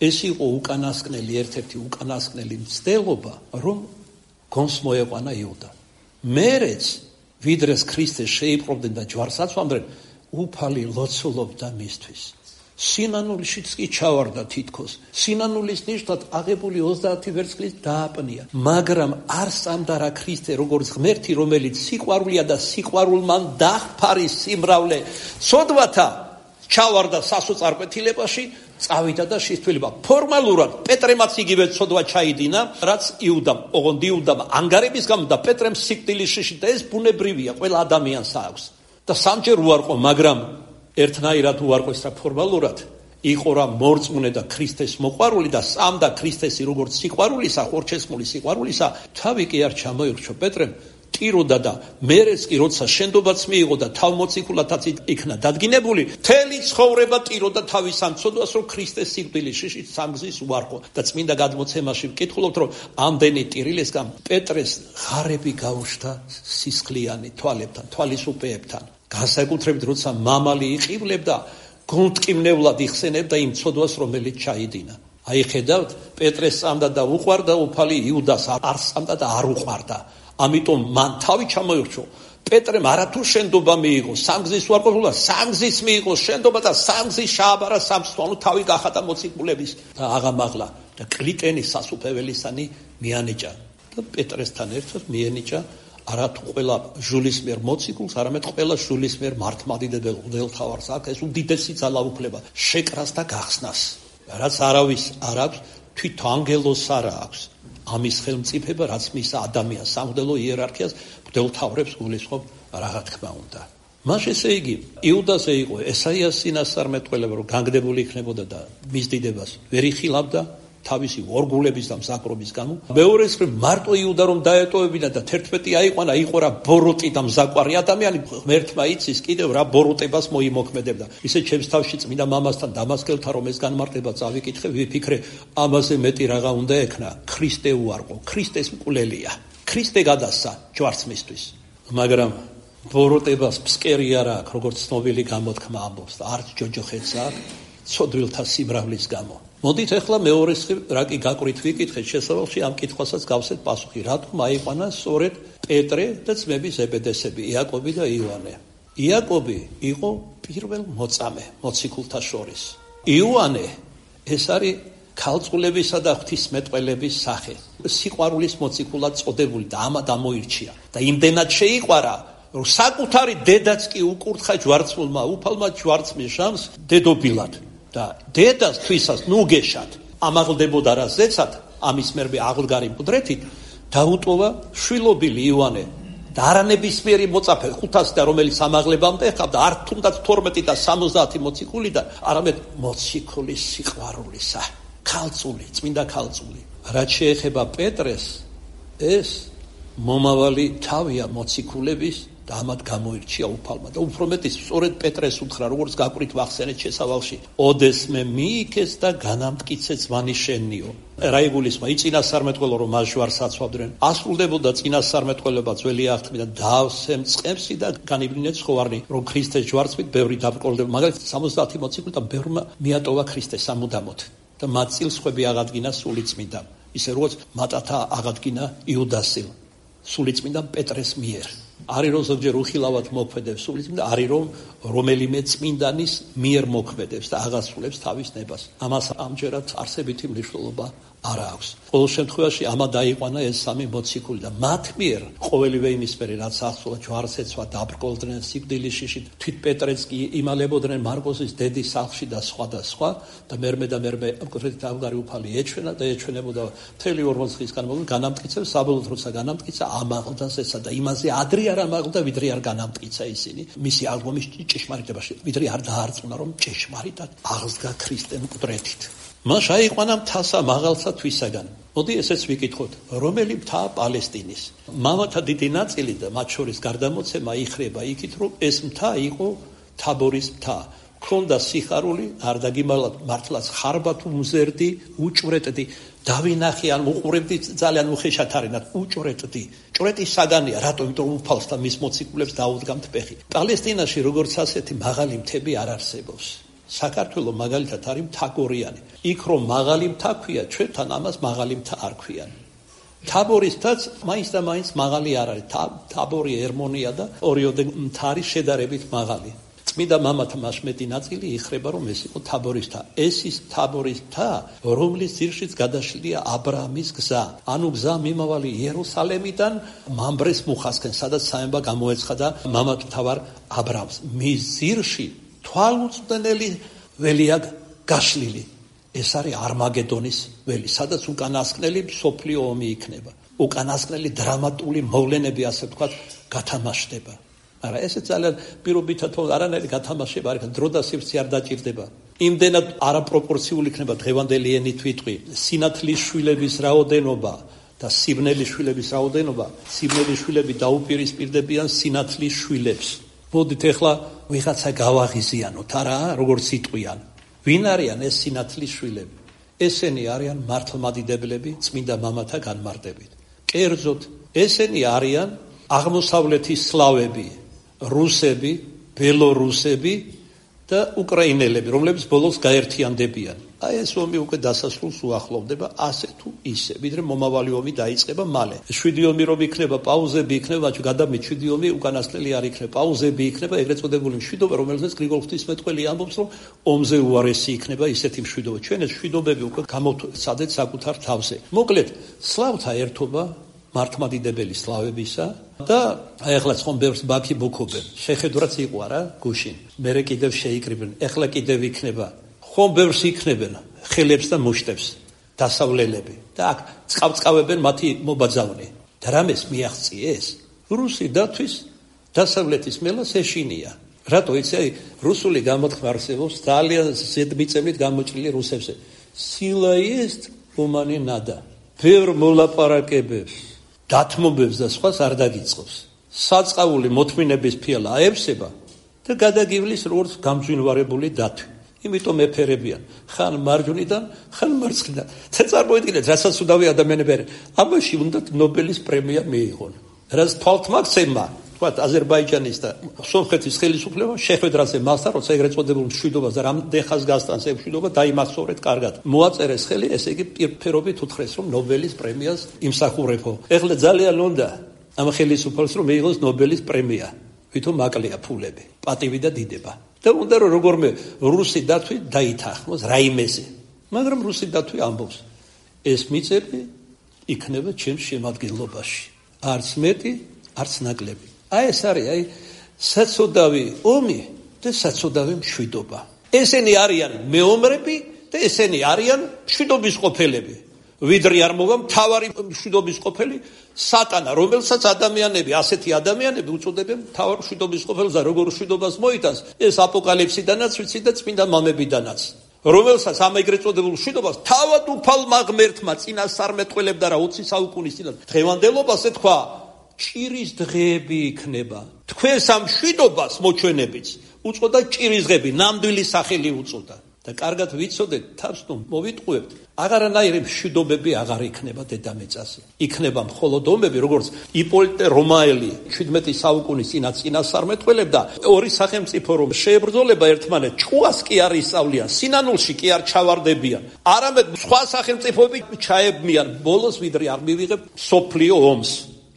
ეს იყო უკანასკნელი, ერთ-ერთი უკანასკნელი მცდელობა, რომ გონს მოეყვანა იუდა. მერეც ვიდრეს ქრისტეს შეიპყრობდნენ და ჯვარს აცვამდნენ, უფალი ლოცულობდა მისთვის. სინანულიშიც კი ჩავარდა თითქოს. სინანულის ნიშნად აღებული 30 ვერცხლით დააპნია. მაგრამ არ სწამდა რა ქრისტე, როგორც ღმერთი, რომელიც სიყვარულია და სიყვარულმა დაჰფარის სიმრავლე. სოდვათა ჩავარდა სასოწარკვეთილებაში, წავიდა და შეცვლილება. ფორმალურად პეტრემაც იგივე ცოდვა ჩაიდინა, რაც იუდამ. ოღონდ იუდამ ანგარების გამო და პეტრემ სიკვდილიშში და ეს ბუნებრივია, ყველა ადამიანს აქვს. და სამჯერ უარყო, მაგრამ ერთნაირად უარყოს რა ფორმალურად, იყო რა მორწმუნე და ქრისტეს მოყვარული და სწამდა ქრისტესი როგორც სიყვარულისა, ხორჩესმული სიყვარულისა, თავი კი არ ჩამოირჩო პეტრემ, ტიროდა და მერეს კი როცა შენდობაც მიიღო და თავმოციქულათაც იქნა დადგინებული, მთელი ცხოვრება ტიროდა თავის ამ ცოდვას, რომ ქრისტეს სიკვდილში სამგზის უარყო და წმინდა გადმოცემაში ვკითხულობთ, რომ ამდენი ტირილისგან პეტრეს ღარები გაუშვდა სისხლიანი თვალებთან, თვალისუპეებთან. განსაკუთრებით როცა მამალი იყივლებდა, გულმტკივნევლად იხსენებდა იმ ცოდვას, რომელიც ჩაიდინა. აი ხედავთ, პეტრეს წამდა და უყვარდა, უფალი იუდას არ წამდა და არ უყვარდა. ამიტომ მან თავი ჩამოირჩო. პეტრემ არათუ შენდობა მიიღო, სამგზის უარყოფილობა, სამგზის მიიღო შენდობა და სამგზის შააბარა სამსვანო თავი გახადა მოციქულების და აღამაღლა და კლიტენის სასუფეველისანი მიანიჭა და პეტრესთან ერთად მიენიჭა არათუ ყველა ჟულის მიერ მოციქულს, არამედ ყველა ჟულის მიერ მართლმადიდებელ მღვდელმთავარს აქვს ეს უდიდესი ძალაუფლება შეკრას და გახსნას, რაც არავის არ აქვს, თვით ანგელოს არ აქვს. ამის ხელმწიფება, რაც მისცა ადამიანს სამღვდელო იერარქიას მღვდელმთავრებს გულისხმობ, რა თქმა უნდა. მას ესე იგი, იუდაზე იყო ესაიას წინასწარმეტყველება, რომ განგდებული იქნებოდა და მის დიდებას ვერ იხილავდა თავისი ორგულების და მზაკრობის გამო. მეორეს მხრივ მარტო იუდა რომ დაეტოვებინა და 11 აიყვანა, იყო რა ბოროტი და მზაკვარი ადამიანი, ღმერთმა იცის კიდევ რა ბოროტებას მოიმოქმედებდა. ისე ჩემს თავში წმინდა მამასთან დამასკელთა რომ ეს განმარტება წავიკითხე, ვიფიქრე, ამაზე მეტი რაღა უნდა ექნა, ქრისტე უარყო, ქრისტეს მკვლელია. ქრისტე გადასცა ჯვარცმისთვის. მაგრამ ბოროტებას ფსკერი არ აქვს, როგორც ცნობილი გამოთქმა ამბობს და არც ჯოჯოხეთს აქვს ცოდვილთა სიმრავლის გამო. მოდით ახლა მეორე მხრივ რა კი გაყვრით ვიკითხეთ შესავალში ამ კითხვასაც გავსეთ პასუხი. რატომ აიყვანა სწორედ პეტრე და ძმები ზებედესები, იაკობი და იოანე? იაკობი იყო პირველ მოწამე მოციქულთა შორის. იოანე ეს არის ქალწულებისა და ღვთისმეტყველების სახე. სიყვარულის მოციქულად წოდებული და ამად ამოირჩია. და იმდენად შეიყვარა, რომ საკუთარი დედაც კი უკურთხა ჯვარცმულმა უფალმა ჯვარცმის ჟამს დედობილად. და დედას თვისას ნუგეშად ამაღლდებოდა რა ზეცად, ამის მერმე აღლგარი მკვდრეთით დაუტოვა შვილობილი იოანე და არანებისმიერი მოწაფე 500 და რომელიც ამაღლებამდე ეხავდა არ თუნდაც 12 და 70 მოციქულიდან, არამედ მოციქულის სიყვარულისა, ქალწული, წმინდა ქალწული. რაც შეეხება პეტრეს, ეს მომავალი თავია მოციქულების და ამად გამოირჩია უფალმა და უფრო მეტის სწორედ პეტრეს უთხრა, როგორც გაყვრით ვახსენეთ შესავალში, ოდესმე მიიქეს და განამტკიცე ძმანი შენიო. რა იგულისხმება, იწინასწარმეტყველო რომ მას ჟვარს აცვავდნენ, ასრულდებოდა წინასწარმეტყველება ძველი აღთქმიდან, დავსემ წყემსი და განივლინე ცხოვარნი, რომ ქრისტეს ჯვარცმით ბევრი დაბრკოლდება. მაგალითად 70 მოციქულთან ბევრმა მიატოვა ქრისტეს სამუდამოდ და მათ წილსხვები აღადგინა სულიწმინდა, ისე როგორც მატათა აღადგინა იუდასილ სულიწმინდა პეტრეს მიერ. არის რომ ზოგჯერ უხილავად მოქმედებს სულიწმინდა, არის რომ რომელიმე წმინდანის მიერ მოქმედებს და აღასრულებს თავის ნებას. ამას ამჯერად არსებითი მნიშვნელობა არ აქვს. ყოველ შემთხვევაში ამა დაიყვანა ეს სამი მოციქული და მათ მიერ ყოველივე იმის მერე რაც ახსოვა ჯვარცეცვა დაბრკოლდნენ სიკვდილიშში, თვით პეტრეც კი იმალებოდნენ მარკოზის დედის სახლში და სხვა და სხვა და მერმე კონკრეტით ამგარი უფალი ეჩვენა და ეჩვენებოდა მთელი 40 დღის განმავლობაში განამტკიცებს, საბოლოოდ როცა განამტკიცა ამაღლდა ზეცად და იმაზე ადრე არ ამაღლდა ვიდრე არ განამტკიცა ისინი მისი აღდგომის ჭეშმარიტებაში, ვიდრე არ დაარწმუნა რომ ჭეშმარიტად აღსდგა ქრისტე მკვდრეთით. მას აიყვანა მთასა მაღალსა თვისაგან. მოდი ესეც ვიკითხოთ, რომელი მთაა პალესტინის? მამათა დიდი ნაწილი და მათ შორის გარდამოცემა იხრება იქით, რომ ეს მთა იყო თაბორის მთა. ქონდა სიხარული, არ დაგიმალავთ, მართლაც ხარბად უმზერდი, უჭვრეტდი, დავინახე ან უყურებდი ძალიან უხეშად არინათ, უჭვრეტდი. ჭვრეტის საგანია, რატომ? იმიტომ რომ უფალს და მის მოციქულებს დაუდგამთ ფეხი. პალესტინაში როგორც ასეთი მაღალი მთები არ არსებობს. საქართველოს მაგალითად არის მთაგორიანი. იქ რომ მაღალი მთა ქვია, ჩვენთან ამას მაღალი მთა არ ქვიან. თაბორის მთაც მაინც და მაინც მაღალი არ არის. თაბორი ერმონია და ორიოდე მთა არის შედარებით მაღალი. წმინდა მამათა მასმეტი ნაწილი იხრება, რომ ეს იყო თაბორის მთა. ეს ის თაბორის მთა, რომლის ძირშიც გადაშლილია აბრაამის გზა. ანუ გზა მიმავალი იერუსალემიდან მამბრეს მუხასკენ, სადაც საემბა გამოეცხადა მამათმთავარ აბრაამს. მის ძირში თვალუწვდენელი ველია გაშლილი. ეს არის არმაგედონის ველი, სადაც უკანასკნელი მსოფლიო ომი იქნება. უკანასკნელი დრამატული მოვლენები, ასე ვთქვათ, გათამაშდება. არა, ესე ძალიან პირობითად არანაირი გათამაშება არ იქნება, დრო და სივრცე არ დაჭირდება. იმდენად არაპროპორციული იქნება დღევანდელი ენით ვიტყვი, სინათლის შვილების რაოდენობა და სიბნელის შვილების რაოდენობა, სიბნელის შვილები დაუპირისპირდებიან სინათლის შვილებს. მოდით ეხლა ვიღაცა გავაღიზიანოთ, არა, როგორც იტყვიან. ვინ არიან ეს სინათლის შვილები? ესენი არიან მართლმადიდებლები წმინდა მამათა განმარტებით. კერძოდ, ესენი არიან აღმოსავლეთის სლავები, რუსები, ბელორუსები და უკრაინელები, რომლებიც ბოლოს გაერთიანდებიან. აი ეს ომი უკვე დასასრულს უახლოვდება, ასე თუ ისე, ვიდრე მომავალი ომი დაიწყება მალე. 7 ომი რომ იქნება, პაუზები იქნება, გადამით 7 ომი უკანასკნელი არ იქნება, პაუზები იქნება, ეგრეთ წოდებული მშვიდობა, რომელზეც გრიგოლ ღვთისმეტყველი ამბობს, რომ ომზე უარესი იქნება ისეთი მშვიდობა. ჩვენ ეს მშვიდობები უკვე გამოვცადეთ საკუთარ თავზე. მოკლედ, სლავთა ერთობა მართლმადიდებელი სლავებისა და აი ახლა ხომ ბევრს ბაქი ბოქობენ. შეხედვრაც იყო არა გუშინ. მერე კიდევ შეიკრიბნენ. ახლა კიდევ იქნება. ხომ ბევრს იქნებენ ხელებს და მუშტებს დასავლელები და აქ წყავწყავებენ მათი მობაძავნი. და რამეს მიაღწიეს? რუსი დათვის დასავლეთის მელას ეშინია. რატო იცი? აი რუსული გამოთქმა არსებობს ძალიან ზედმიწევნით გამოჭრილი რუსებზე. სილა ist უმანი ნადა. ბევრ მოლაპარაკებებს დათმობებს და სხვას არ დაგიწყობს. საწყავული მოთმინების ფიალა აებსება და გადაგივლის როგორც გამძვინვარებული დათვი. იმიტომ ეფერებიან ხან მარჯვნიდან, ხან მარცხნიდან. და წარმოიდგინეთ, რასაც უდავი ადამიანები არიან. ამაში უნდათ ნობელის პრემია მიიღონ. რაც თვალთმაქცევმა, თქვათ აზერბაიჯანის და სომხეთის ხელისუფლებამ შეხვედრაზე მასთან, როცა ეგრეთ წოდებულ მშვიდობას და რამდენ ხანს გასტანს ეს მშვიდობა, დაიმახსოვრეთ კარგად. მოაწერეს ხელი, ესე იგი პირფერობით უთხრეს, რომ ნობელის პრემიას იმსახურებო. ეხლა ძალიან უნდა ამ ხელისუფლებას რომ მიიღოს ნობელის პრემია. ვითომ აკლია ფულები, პატივი და დიდება. და უნდა რომ როგორმე რუსი დათვი დაითანხმოს რაიმეზე. მაგრამ რუსი დათვი ამბობს, ეს მიწები იქნება ჩემს შემადგენლობაში. არც მეტი, არც ნაკლები. აი ეს არის, აი საცოდავი ომი და საცოდავი მშვიდობა. ესენი არიან მეომრები და ესენი არიან მშვიდობის ყოფილები. ვიდრე არ მოვა მთავარი მშვიდობის ყოფილი სატანა, რომელსაც ადამიანები, ასეთი ადამიანები უწოდებენ მთავარ მშვიდობის ყოფილს და როგორ მშვიდობას მოიტანს, ეს აპოკალიფსიდანაც ვიცი და წმინდა მამებიდანაც. რომელსაც ამ ეგრეთ წოდებულ მშვიდობას თავად უფალმა ღმერთმა წინასწარმეტყველებდა რა 20 საუკუნის წინათ. დღევანდელობას ეთქვა ჭირის დღეები იქნება. თქვენს ამ მშვიდობას მოჩვენებიც უწოდა ჭირის დღეები, ნამდვილი სახელი უწოდა. და კარგად ვიცოდეთ, თავს თუ მოვიტყუებთ, აღარანაირი მშვიდობები აღარ იქნება დედამიწაზე. იქნება მხოლოდ ომები, როგორც იპოლიტე რომაელი 17 საუკუნის წინასწარმეტყველებდა, ორი სახელმწიფო რომ შეებრძოლება ერთმანეთს, ჭუას კი არ ისწავლიან, სინანულში კი არ ჩავარდებიან. არამედ სხვა სახელმწიფოები ჩაებმიან, ბოლოს ვიდრე არ მივიღებ სოფლიო ომს.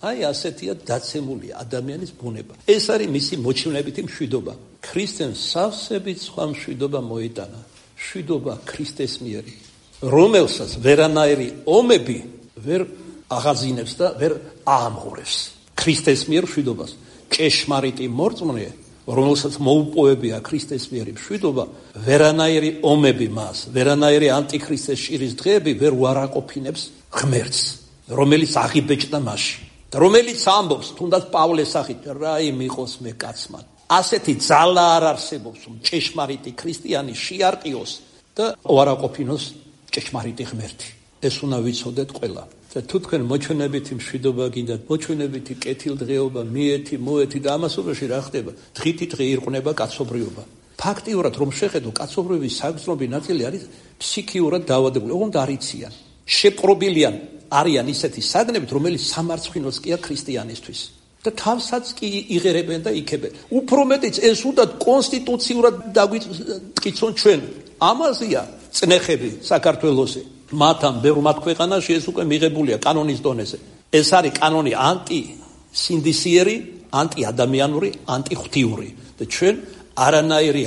აი ასეთია დაცემული ადამიანის ბუნება. ეს არის მისი მოჩვენებითი მშვიდობა. ქრისტეს სავსებით სხვა მშვიდობა მოიტანა. მშვიდობა ქრისტეს მიერი, რომელსაც ვერანაირი ომები ვერ აღაზინებს და ვერ აამღურებს. ქრისტეს მიერ მშვიდობას. ჭეშმარიტი მორწმუნე, რომელსაც მოუპოვებია ქრისტეს მიერი მშვიდობა, ვერანაირი ომები მას, ვერანაირი ანტიქრისტეს ჭირის დღეები ვერ უარაყოფინებს ღმერთს, რომელიც აღიბეჭდა მასში. რომელიც ამბობს, თუნდაც პავლეს სახით, რაიმე იყოს მე კაცმა. ასეთი ძალა არ არსებობს, რომ ჭეშმარიტი ქრისტიანი შეარტყიოს და უარაყოფინოს ჭეშმარიტი ღმერთი. ეს უნდა ვიცოდეთ ყველა. და თუ თქვენ მოჩვენებითი მშვიდობა გინდათ, მოჩვენებითი კეთილდღეობა, მიეთი, მოეთი და ამასობაში რა ხდება? დღითი დღე ირყნება კაცობრიობა. ფაქტიურად რომ შეხედო, კაცობრიობის საგრძნობი ნაწილი არის ფსიქიურად დაავადებული, ოღონდ არ იციან. შეპყრობილიან არიან ისეთი საგნებით, რომელიც სამარცხვინოს კი არ ქრისტიანისთვის. და თავსაც კი იღერებენ და იქებენ. უფრო მეტიც ეს უნდა კონსტიტუციურად დაგვიტკიცონ ჩვენ. ამაზეა წნეხები საქართველოსზე. მათთან ბევრ მათ ქვეყანაში ეს უკვე მიღებულია კანონის დონეზე. ეს არის კანონი ანტისინდისიერი, ანტიადამიანური, ანტიღვთიური. და ჩვენ არანაირი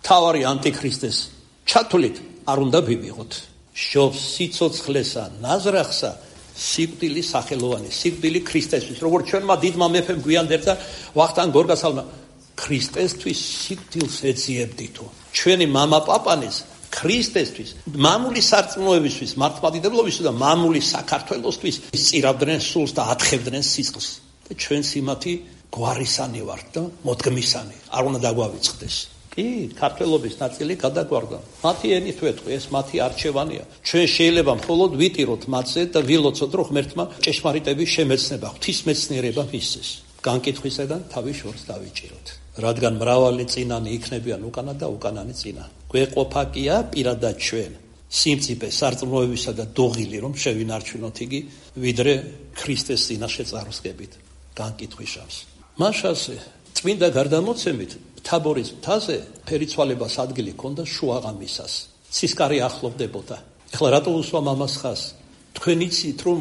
თავარი ანტიქრისტეს ჩათვლით არ უნდა ვივიღოთ. შობს სიცოცხლესა, ნაზრახსა, სიკვდილი სახელოვანი, სიკვდილი ქრისტესთვის. როგორც ჩვენმა დიდმა მეფემ გვიანდერდა ვახტანგ გორგასალმა, ქრისტესთვის სიკვდილს ეძიებდითო. ჩვენი მამა პაპანეს ქრისტესთვის, მამული სარწმუნოებისთვის, მართლმადიდებლობისთვის და მამული საქართველოსთვის სწირავდნენ სულს და ათხევდნენ სისხლს. და ჩვენც იმათი გვარისანი ვართ და მოდგმისანი. არ უნდა დაგვავიწყდეს. კი, ქართველობის ნაწილი გადაგვარდა. მათი ენით ვეთქვი, ეს მათი არჩევანია. ჩვენ შეიძლება მხოლოდ ვიტიროთ მათზე და ვილოცოთ, რომ ღმერთმა ჭეშმარიტების შემეცნება, ღვთისმეცნიერება მისცეს. განკითხვისგან თავის შორს დავიჭიროთ. რადგან მრავალი წინანი იქნებიან უკანა და უკანანი წინა. გვეყოფა კია პირადად ჩვენ სიმწიფე სარწმუნოებისა და დოღილი რომ შევინარჩუნოთ იგი, ვიდრე ქრისტეს წინაშე წარსგებით. განკითხვის შავს. მაშასე წმინდა გარდამოცემით თაბორის მთაზე ფერიცვალებას ადგილი ჰქონდა შუაღამისას. ცისკარი ახლოვდებოდა. ეხლა რატო უსვამ ამას ხას? თქვენ იცით რომ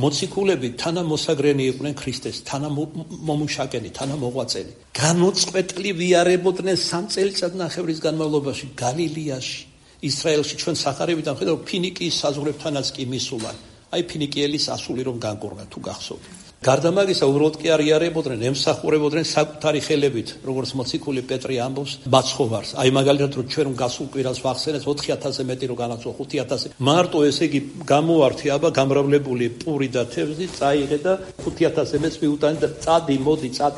მოციქულები თანამოსაგრენი იყვნენ ქრისტეს, თანამომუშაკენი, თანამოღვაწენი. განუწყვეტლი ვიარებოდნენ 3 წელიწადნახევრის განმავლობაში გალილეაში, ისრაელში. ჩვენ სახარებიდან ხედავთ ფინიკიის საზღვრებთანაც კი მისულან. აი ფინიკიელის ასული რომ განკურნა თუ გახსოვთ. გარდა მაგისა უბრალოდ კი არ იარებოდნენ, ემსახურებოდნენ საკუთარი ხელებით, როგორც მოციქული პეტრე ამბობს მაცხოვარს. აი მაგალითად რომ ჩვენ გასულ კვირას ვახსენეთ 4000-ზე მეტი რო განაცვლა 5000. მარტო ესე იგი გამოართი აბა გამრავლებული პური და თევზი წაიღე და 5000-ზე მეც მიუტანი და წადი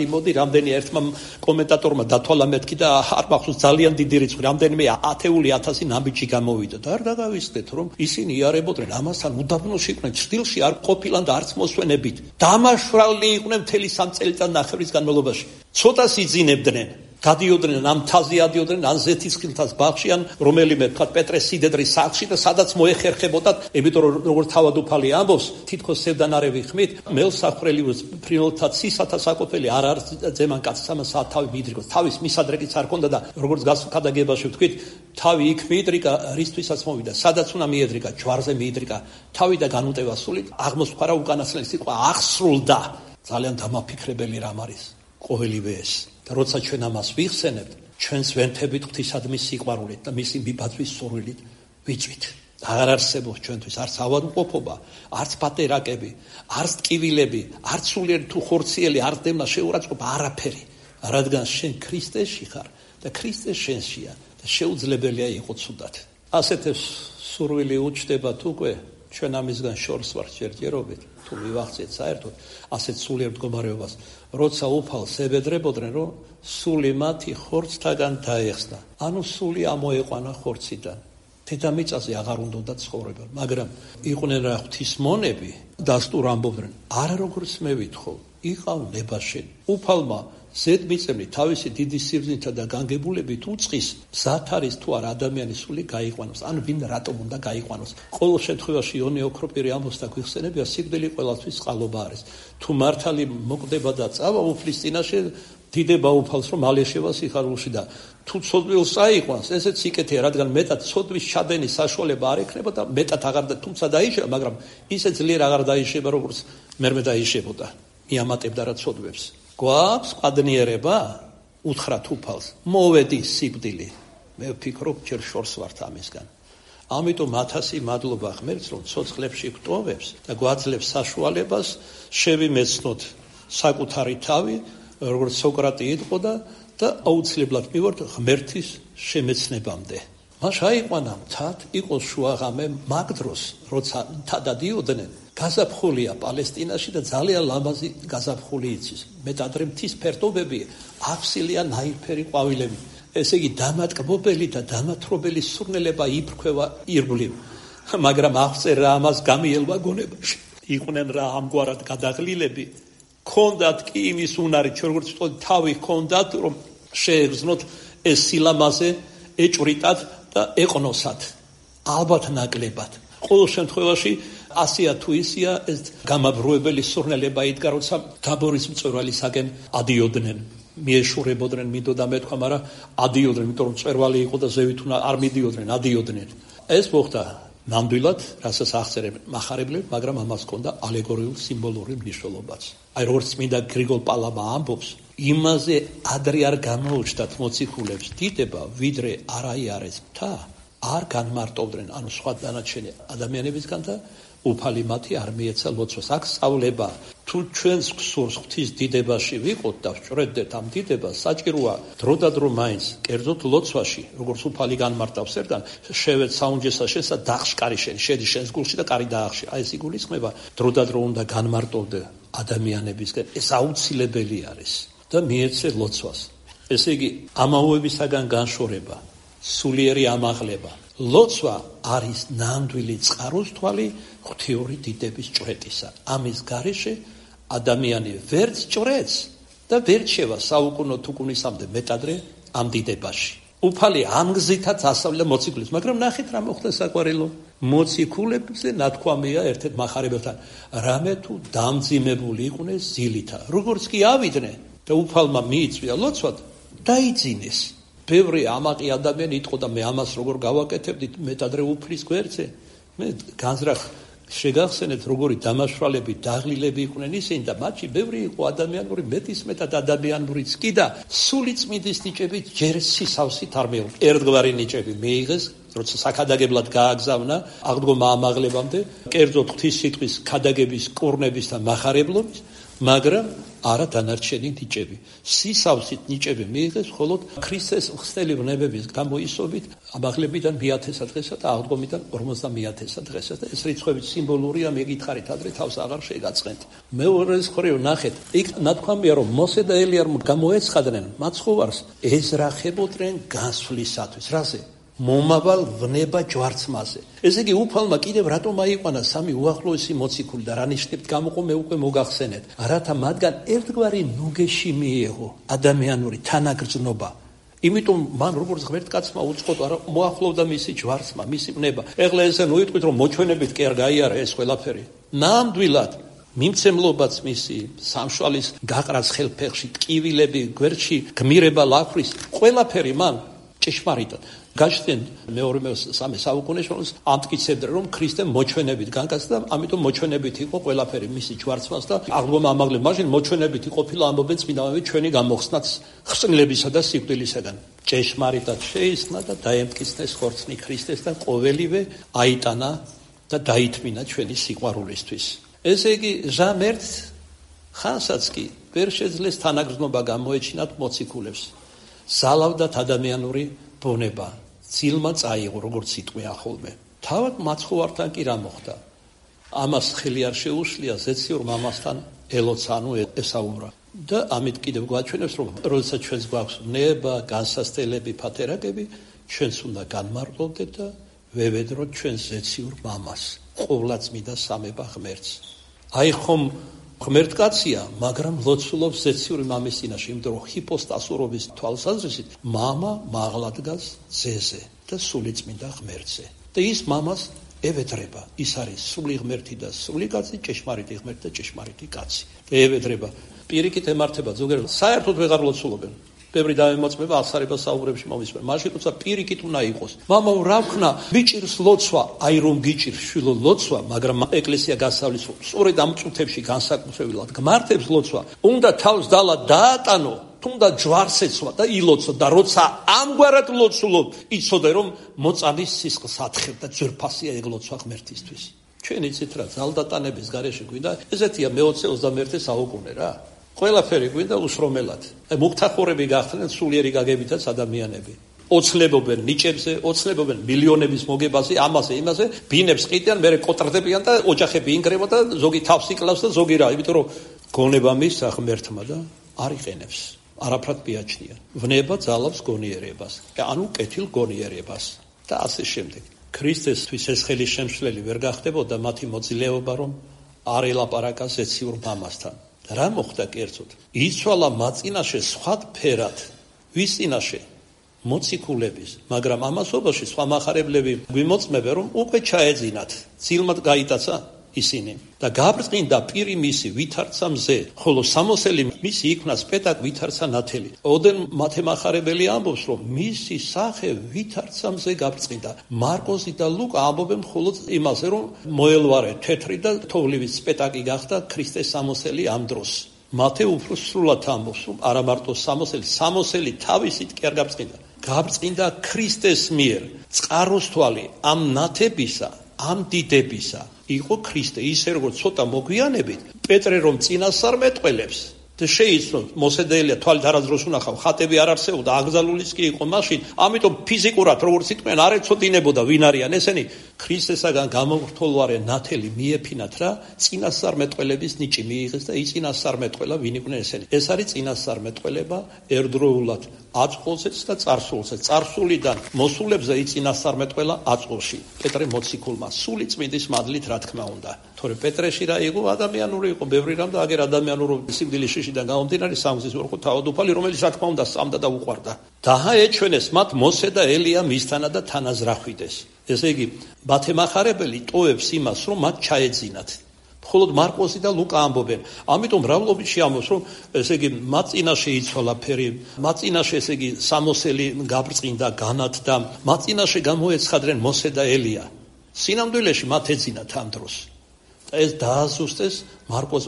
მოდი, რამდენი ერთმა კომენტატორმა დათვალა მეთქი და არ მახსოვს ძალიან დიდი რიცხვი, რამდენიმე 10,000 ნაბიჯი გამოვიდა და არ დაგავიწყდეთ რომ ისინი იარებოდნენ ამასთან უდაბნოში იყვნენ, ჭრილში არ ყოფილან და არც მოსვენებით. მაშვრალი იყვნენ მთელი 3 წელიწადნახევრის განმავლობაში. ცოტას იძინებდნენ, გადიოდნენ ამ მთაზე ადიოდნენ ან ზეთისხილთას ბაღში ან რომელიმე თქვა პეტრეს სიდედრის სახლში და სადაც მოეხერხებოდათ, იმიტომ რომ როგორც თავადუფალი ამბობს, თითქოს სევდანარევი ხმით, მელსახრელი ფრინველთა ცისათა საკოფელი არ არის ძემან კაცს ამას თავი მიიდრიკოს. თავის მისადრეკიც არ ქონდა და როგორც გასხადაგებაში ვთქვით, თავი იქ მიიდრიკა, რისთვისაც მოვიდა, სადაც უნდა მიედრიკა, ჯვარზე მიიდრიკა, თავი და განუტევა სულით, აღმოსფარა უკანასკნელი სიტყვა აღსრულდა. ძალიან დამაფიქრებელი რამ არის ყოველივე ეს. და როცა ჩვენ ამას ვიხსენებთ, ჩვენს ვენთებით ღვთისადმი სიყვარულით და მისი მიბაძვის სურვილით ვიწვით. აღარ არსებობს ჩვენთვის არც ავადმყოფობა, არც პატერაკები, არც ტკივილები, არც სულიერი თუ ხორციელი, არც დევნა შეურაცხყოფა, არაფერი. რადგან შენ ქრისტეში ხარ და ქრისტე შენშია და შეუძლებელია იყო ცუდად. ასეთ სურვილი უჩნდებათ უკვე ჩვენ ამისგან შორს ვართ ჯერჯერობით. თუ მივახცეთ საერთოდ ასეთ სულიერ მდგომარეობას, როცა უფალს ებედრებოდნენ, რომ სული მათი ხორცთაგან დაეხსნა. ანუ სული ამოეყვანა ხორციდან. დედამიწაზე აღარ უნდა ცხოვრება, მაგრამ იყვნენ რა ღვთისმონები, დასტურ ამბობდნენ, არა როგორც მე ვითხოვ, იყავ ნებაშენ. უფალმა ზედმიწევნი თავისი დიდი სიბრძნითა და განგებულებით უწყის, მზად არის თუ არა ადამიანის სული გაიყვანოს, ან ვინ რატომ უნდა გაიყვანოს. ყოველ შემთხვევაში იონე ოქროპირი ამბობს და გვიხსენებია, სიკვდილი ყველასთვის წყალობა არის. თუ მართალი მოკვდება და წავა უფლის წინაშე, დიდება უფალს რომ ალეშევა სიხარულში და თუ ცოდვილს წაიყვანს, ესეც სიკეთეა, რადგან მეტად ცოდვის ჩადენის საშუალება არ ექნება და მეტად აღარ თუმცა დაიშება, მაგრამ ისე ძლიერ აღარ დაიშება, როგორც მერმე დაიშებოდა. მიამატებდა რა ცოდვებს. გვაქვს ყადნიერება, უთხრათ უფალს, მოვედი სიკვდილი. მე ვფიქრობ, ჯერ შორს ვართ ამისგან. ამიტომ 1000 მადლობა ღმერთს, რომ ცოცხლებში გვტოვებს და გვაძლევს საშუალებას შევიმეცნოთ საკუთარი თავი, როგორც სოკრატე იტყოდა და აუცილებლად მივართ ღმერთის შემეცნებამდე. მას აიყვანა მთად, იყო შუაღამე, მაგ დროს, როცა მთად ადიოდნენ, გაზაფხულია პალესტინაში და ძალიან ლამაზი გაზაფხული იცის. მეტადრე მთის ფერდობები აფსილია ნაირფერი ყვავილები. ესე იგი დამატკბობელი და დამათრობელი სურნელება იფრქვევა ირგვლივ. მაგრამ აღწერა ამას გამიელვა გონებაში. იყვნენ რა ამგვარად გადაღლილები, ქონდათ კი იმის უნარი, როგორც ვთქვი, თავი ქონდათ, რომ შეეგზნოთ ეს სილამაზე, ეჭვრიტად და ეყნოსათ. ალბათ ნაკლებად. ყოველ შემთხვევაში ასია თუ ისია ეს გამაბრუებელი სურნელება იდგა, როცა თაბორის მწვერვალისაკენ ადიოდნენ. მიეშურებოდნენ, მინდოდა მეთქვა, მაგრამ ადიოდნენ, იმიტომ რომ მწვერვალი იყო და ზევით არ მიდიოდნენ, ადიოდნენ. ეს მოხდა ნამდვილად, რასაც აღწერენ მახარებლები, მაგრამ ამას ჰქონდა ალეგორიული სიმბოლური მნიშვნელობაც. აი როგორც წმინდა გრიგოლ პალამა ამბობს, იმაზე ადრე არ გამოუჩნდათ მოციქულებს დიდება, ვიდრე არაიარეს მთა, არ განმარტოვდნენ, ანუ სხვა დანარჩენი ადამიანებისგან და უფალი მათი არ მიეცა ლოცვას. აქ სწავლება, თუ ჩვენს გსურს ღვთის დიდებაში ვიყოთ და ვჭრედდეთ ამ დიდებას, საჭიროა დროდადრო მაინც კერძოდ ლოცვაში, როგორც უფალი განმარტავს ერთგან, შევეც საუნჯესა შესა დახშკარი შედი შენს გულში და კარი დაახში. აი ეს იგულისხმება, დროდადრო უნდა განმარტოვდე ადამიანებისგან. ეს აუცილებელი არის და მიეცე ლოცვას. ესე იგი, ამაოებისაგან განშორება, სულიერი ამაღლება. ლოცვა არის ნამდვილი წყაროსთვალი ღვთიური დიდების ჭვრეტისა. ამის გარეშე ადამიანი ვერც ჭვრეტს და ვერ შევა საუკუნო თუკუნისამდე მეტადრე ამ დიდებაში. უფალი ამ გზითაც ასწავლა მოციქულებს, მაგრამ ნახეთ რა მოხდა საყვარელო. მოციქულებზე ნათქვამია ერთ-ერთ მახარებელთან, რამე თუ დამძიმებული იყვნენ ზილითა, როგორც კი ავიდნენ და უფალმა მიიწვია ლოცვად, დაიძინეს. ბევრი ამაყი ადამიანი იტყო და მე ამას როგორ გავაკეთებდი მეტადრე უფლის გვერდზე. მე განზრახ შეგახსენეთ როგორი დამაშვალები, დაღლილები იყვნენ ისინი და მათში ბევრი იყო ადამიანური, მეტისმეტად ადამიანურიც კი და სული წმინდის ნიჭებით ჯერ სისავსით არ მეუღ. ერთგვარი ნიჭები მიიღეს, როცა საქადაგებლად გააგზავნა აღდგომა ამაღლებამდე, კერძოდ ღვთის სიტყვის ქადაგების, კურნების და მახარებლობის, მაგრამ არა დანარჩენი ნიჭები. სისავსით ნიჭები მიიღეს, ხოლოდ ქრისტეს ხსნელი ვნებების გამოისობით ამაღლებიდან 1000 დღესა და აღდგომიდან 50,000 დღესა და ეს რიცხვები სიმბოლურია, მეკითხარით ადრე თავს აღარ შეგაწყენთ. მეორეს მხრივ ნახეთ, იქ ნათქვამია რომ მოსე და ელია რომ გამოეცხადნენ მაცხოვარს, ეზრახებოდნენ განსვლისათვის. რაზე? მომავალ ვნება ჯვარცმაზე. ესე იგი უფალმა კიდევ რატომ აიყვანა სამი უახლოესი მოციქული და რა ნიშნებით გამოყო მე უკვე მოგახსენეთ, რათა მათგან ერთგვარი ნუგეში მიეღო ადამიანური თანაგრძნობა. იმიტომ მან როგორც ღმერთკაცმა უწყოთ არა მოახლოვდა მისი ჯვარცმა, მისი ვნება. ეხლა ესე ნუიტყვით რომ მოჩვენებით კი არ გაიარა ეს ყველაფერი. ნამდვილად მიმცემლობაც მისი სამშვალის გაყრას ხელფეხში, ტკივილები გვერდში, გმირება ლახვრის, ყველაფერი მან ჭეშმარიტად გაჩნდნენ მეორე-მესამე საუკუნეში ამტკიცებდნენ რომ ქრისტემ მოჩვენებით განკაცდა და ამიტომ მოჩვენებით იყო ყველაფერი მისი ჯვარცმას და აღდგომა ამაღლება მაშინ მოჩვენებითი ყოფილა ამბობენ წმინდანები ჩვენი გამოხსნაც ხსნილებისა და სიკვდილისაგან. ჭეშმარიტად შეისხნა და დაემტკიცნეს ხორცნი ქრისტეს და ყოველივე აიტანა და დაითმინა ჩვენი სიყვარულისთვის. ესე იგი ჟამერთ ხანსაც კი ვერ შეძლეს თანაგრძნობა გამოეჩინათ მოციქულებს. ზალავდათ ადამიანური ბუნება, ძილმა წაიღო, როგორც სიტყვია ხოლმე. თავად მაცხოვართან კი რა მოხდა? ამას ხელი არ შეუშლია ზეციურ მამასთან ელოცანუ ესაურა. და ამით კიდევ გვაჩვენებს, რომ როდესაც ჩვენს გვაქვს ნება, განსასწელები, ფათერაკები, ჩვენს უნდა განმარტოვდეთ და ვევედროთ ჩვენს ზეციურ მამას, ყოვლადწმიდა სამება ღმერთს. აი ხომ ღმერთკაცია, მაგრამ ლოცულობს ზეციური მამის წინაშე, იმიტომ რომ ჰიპოსტასურობის თვალსაზრისით მამა მაღლა დგას ძეზე და სულიწმინდა ღმერთზე. და ის მამას ევედრება, ის არის სული ღმერთი და სული კაცი, ჭეშმარიტი ღმერთი და ჭეშმარიტი კაცი. და ევედრება, პირიქით ემართება ზოგიერთ საერთოდ ვეღარ ლოცულობენ. ბევრი დაემოწმება აღსარება საუბრებში მომისმენ. მაშინ თუმცა პირიქით უნდა იყოს. მამაო, რა ვქნა, ბიჭირს ლოცვა, აი რომ გიჭირს შვილო ლოცვა, მაგრამ ეკლესია გასავლის სწორედ ამ წუთებში განსაკუთრებულად გმართებს ლოცვა, უნდა თავს დალა დაატანო, თუნდა ჯვარს ეცვა და ილოცო და როცა ამგვარად ლოცულობ, იცოდე რომ მოწამის სისხლს ათხებ და ძვირფასია ეგ ლოცვა ღმერთისთვის. ჩვენ იცით რა, ძალდატანების გარეშე გვინდა, ესეთია მე-20-21 საუკუნე რა. ყველაფერი გვინდა უსრომელად. მუქთახურები გახდნენ სულიერი გაგებითაც ადამიანები. ოცლებობენ ნიჭებზე, ოცლებობენ მილიონების მოგებაზე, ამაზე, იმაზე, ბინებს ყიდიან, მერე კოტრდებიან და ოჯახები ინგრევა და ზოგი თავს იკლავს და ზოგი რა, იმიტომ რომ გონება მისცა ღმერთმა და არ იყენებს. არაფრად მიაჩნია. ვნება ძალავს გონიერებას. ანუ კეთილ გონიერებას და ასე შემდეგ. ქრისტესთვის ეს ხელის შემშლელი ვერ გახდებოდა მათი მოძილეობა, რომ არ ელაპარაკა ზეციურ მამასთან. რა მოხდა კერძოდ? იცვალა მათ წინაშე სხვადფერად, ვის წინაშე? მოციქულების, მაგრამ ამასობაში სხვა მახარებლები გვიმოწმებენ, რომ უკვე ჩაეძინათ, ძილმად გაიტაცა ისინი და გაბრწყინდა პირი მისი ვითარცა მზე, ხოლო სამოსელი მისი იქნა სპეტაკ ვითარცა ნათელი. ოდენ მათემახარებელი ამბობს, რომ მისი სახე ვითარცა მზე გაბრწყინდა. მარკოზი და ლუკა ამბობენ მხოლოდ იმაზე, რომ მოელვარე თეთრი და თოვლის სპეტაკი გახდა ქრისტეს სამოსელი ამ დროს. მათე უფრო სრულად ამბობს, რომ არა მარტო სამოსელი თავისით კი არ გაბრწყინდა. გაბრწყინდა ქრისტეს მიერ. წყაროსთვალი ამ ნათებისა, ამ დიდებისა იყო ქრისტე, ისე როგორც ცოტა მოგვიანებით პეტრე რომ წინასწარ მეტყველებს და შეიცნო მოსე და ელია თვალით არასდროს უნახავ, ხატები არ არსებობდა, აკრძალულიც კი იყო მაშინ, ამიტომ ფიზიკურად როგორც იყვნენ არ ეცოდინებოდა ვინ არიან ესენი, ქრისტესაგან გამორთოლვარე ნათელი მიეფინათ რა წინასწარმეტყველების ნიჭი მიიღეს და იწინასწარმეტყველა ვინ იყვნენ ესენი. ეს არის წინასწარმეტყველება ერთდროულად აწყულზეც და წარსულზეც. წარსულიდან მოსულებზე იწინასწარმეტყველა აწყულში. პეტრე მოციქულმა სული წმინდის მადლით რა თქმა უნდა. თორე პეტრეში რა იყო ადამიანური იყო ბევრი რამ და აგერ ადამიანური სიკვდილის შიშიდან გამომდინარე სამგზის ორყო თავადუფალი რომელიც რა თქმა უნდა სწამდა და უყვარდა. დააეჩვენეს მათ მოსე და ელია მისთანა და თანაზრახვიდეს. ესე იგი, მათემახარებელი ტოვებს იმას, რომ მათ ჩაეძინათ. მხოლოდ მარკოზი და ლუკა ამბობენ. ამიტომ მრავლობითში ამბობს, რომ ესე იგი, მათ წინაშე იცვალა ფერი, მათ წინაშე ესე იგი, სამოსელი გაბრწყინდა, განათდა, მათ წინაშე გამოეცხადნენ მოსე და ელია. სინამდვილეში მათ ეძინათ ამ დროს. ეს დააზუსტეს მარკოზ,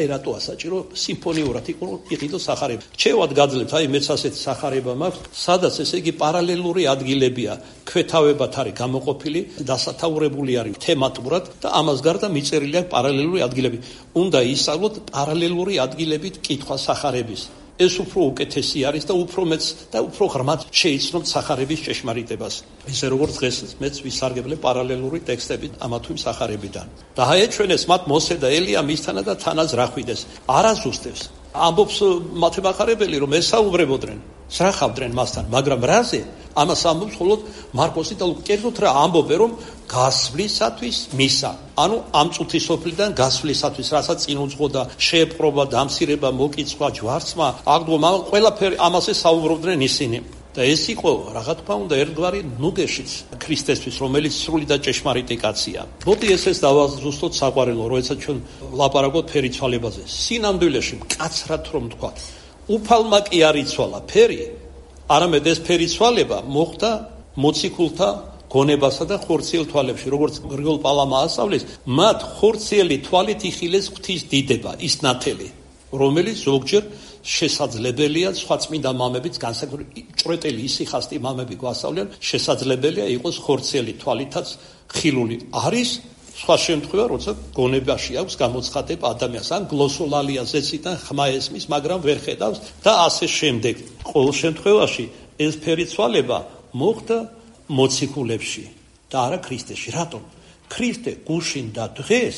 ერატოა საჭირო სიმფონიურად იყიდო სახარება. ჩევად გაძლევთ, მეც ასეთი სახარება მაქვს, სადაც ესე იგი პარალელური ადგილებია, ქვეთავებად არის გამოყოფილი, დასათაურებული არის თემატურად და ამას გარდა მიწერილი აქვს პარალელური ადგილები. უნდა ისწავლოთ პარალელური ადგილებით კითხვა სახარების. ეს უფრო უკეთესი არის და უფრო მეც და უფრო ღრმად შეიცნობთ სახარების ჭეშმარიტებას. ისე როგორც დღეს მეც ვისარგებლე პარალელური ტექსტებით ამა თუ იმ სახარებიდან. დააეჩვენეს მათ მოსე და ელია მისთანა და თანაზრახვიდეს. არაზუსტებს. ამბობს მათემახარებელი, რომ ესაუბრებოდნენ, სრახავდნენ მასთან, მაგრამ რაზე? ამას ამბობს მხოლოდ მარკოსი და ლუკა. კერძოდ რა ამბობენ, რომ გასვლისათვის მისა. ანუ ამ წუთის სოფლიდან გასვლისათვის, რასაც წინ უძღოდა შეეპყრობა, დამცირება, მოკიცხვა, ჯვარცმა, აღდგომა, ყველაფერი ამაზე საუბრობდნენ ისინი. და ეს იყო, რა თქმა უნდა, ერთგვარი ნუგეშიც ქრისტესთვის, რომელიც სრული და ჭეშმარიტი კაცია. მოდი ესეც დავაზუსტოთ საყვარელო, როდესაც ჩვენ ვლაპარაკობთ ფერიცვალებაზე. სინამდვილეში მკაცრად რომ ვთქვათ, უფალმა კი არ იცვალა ფერი, არამედ ეს ფერიცვალება მოხდა მოციქულთა გონებასა და ხორციელ თვალებში, როგორც გრიგოლ პალამა ასწავლის, მათ ხორციელი თვალით იხილეს ღვთის დიდება, ის ნათელი, რომელიც ზოგჯერ შესაძლებელია სხვა წმინდა მამებიც განსაკუთრებით ჭრეტელი ისიხასტი მამები გვასწავლიან, შესაძლებელია იყოს ხორციელი თვალითაც ხილული. არის სხვა შემთხვევა, როცა გონებაში აქვს გამოცხადება ადამიანს, ან გლოსოლალია ზეციდან ხმა ესმის, მაგრამ ვერ ხედავს და ასე შემდეგ. ყოველ შემთხვევაში ეს ფერიცვალება მოხდა მოციქულებში და არა ქრისტეში. რატომ? ქრისტე გუშინ და დღეს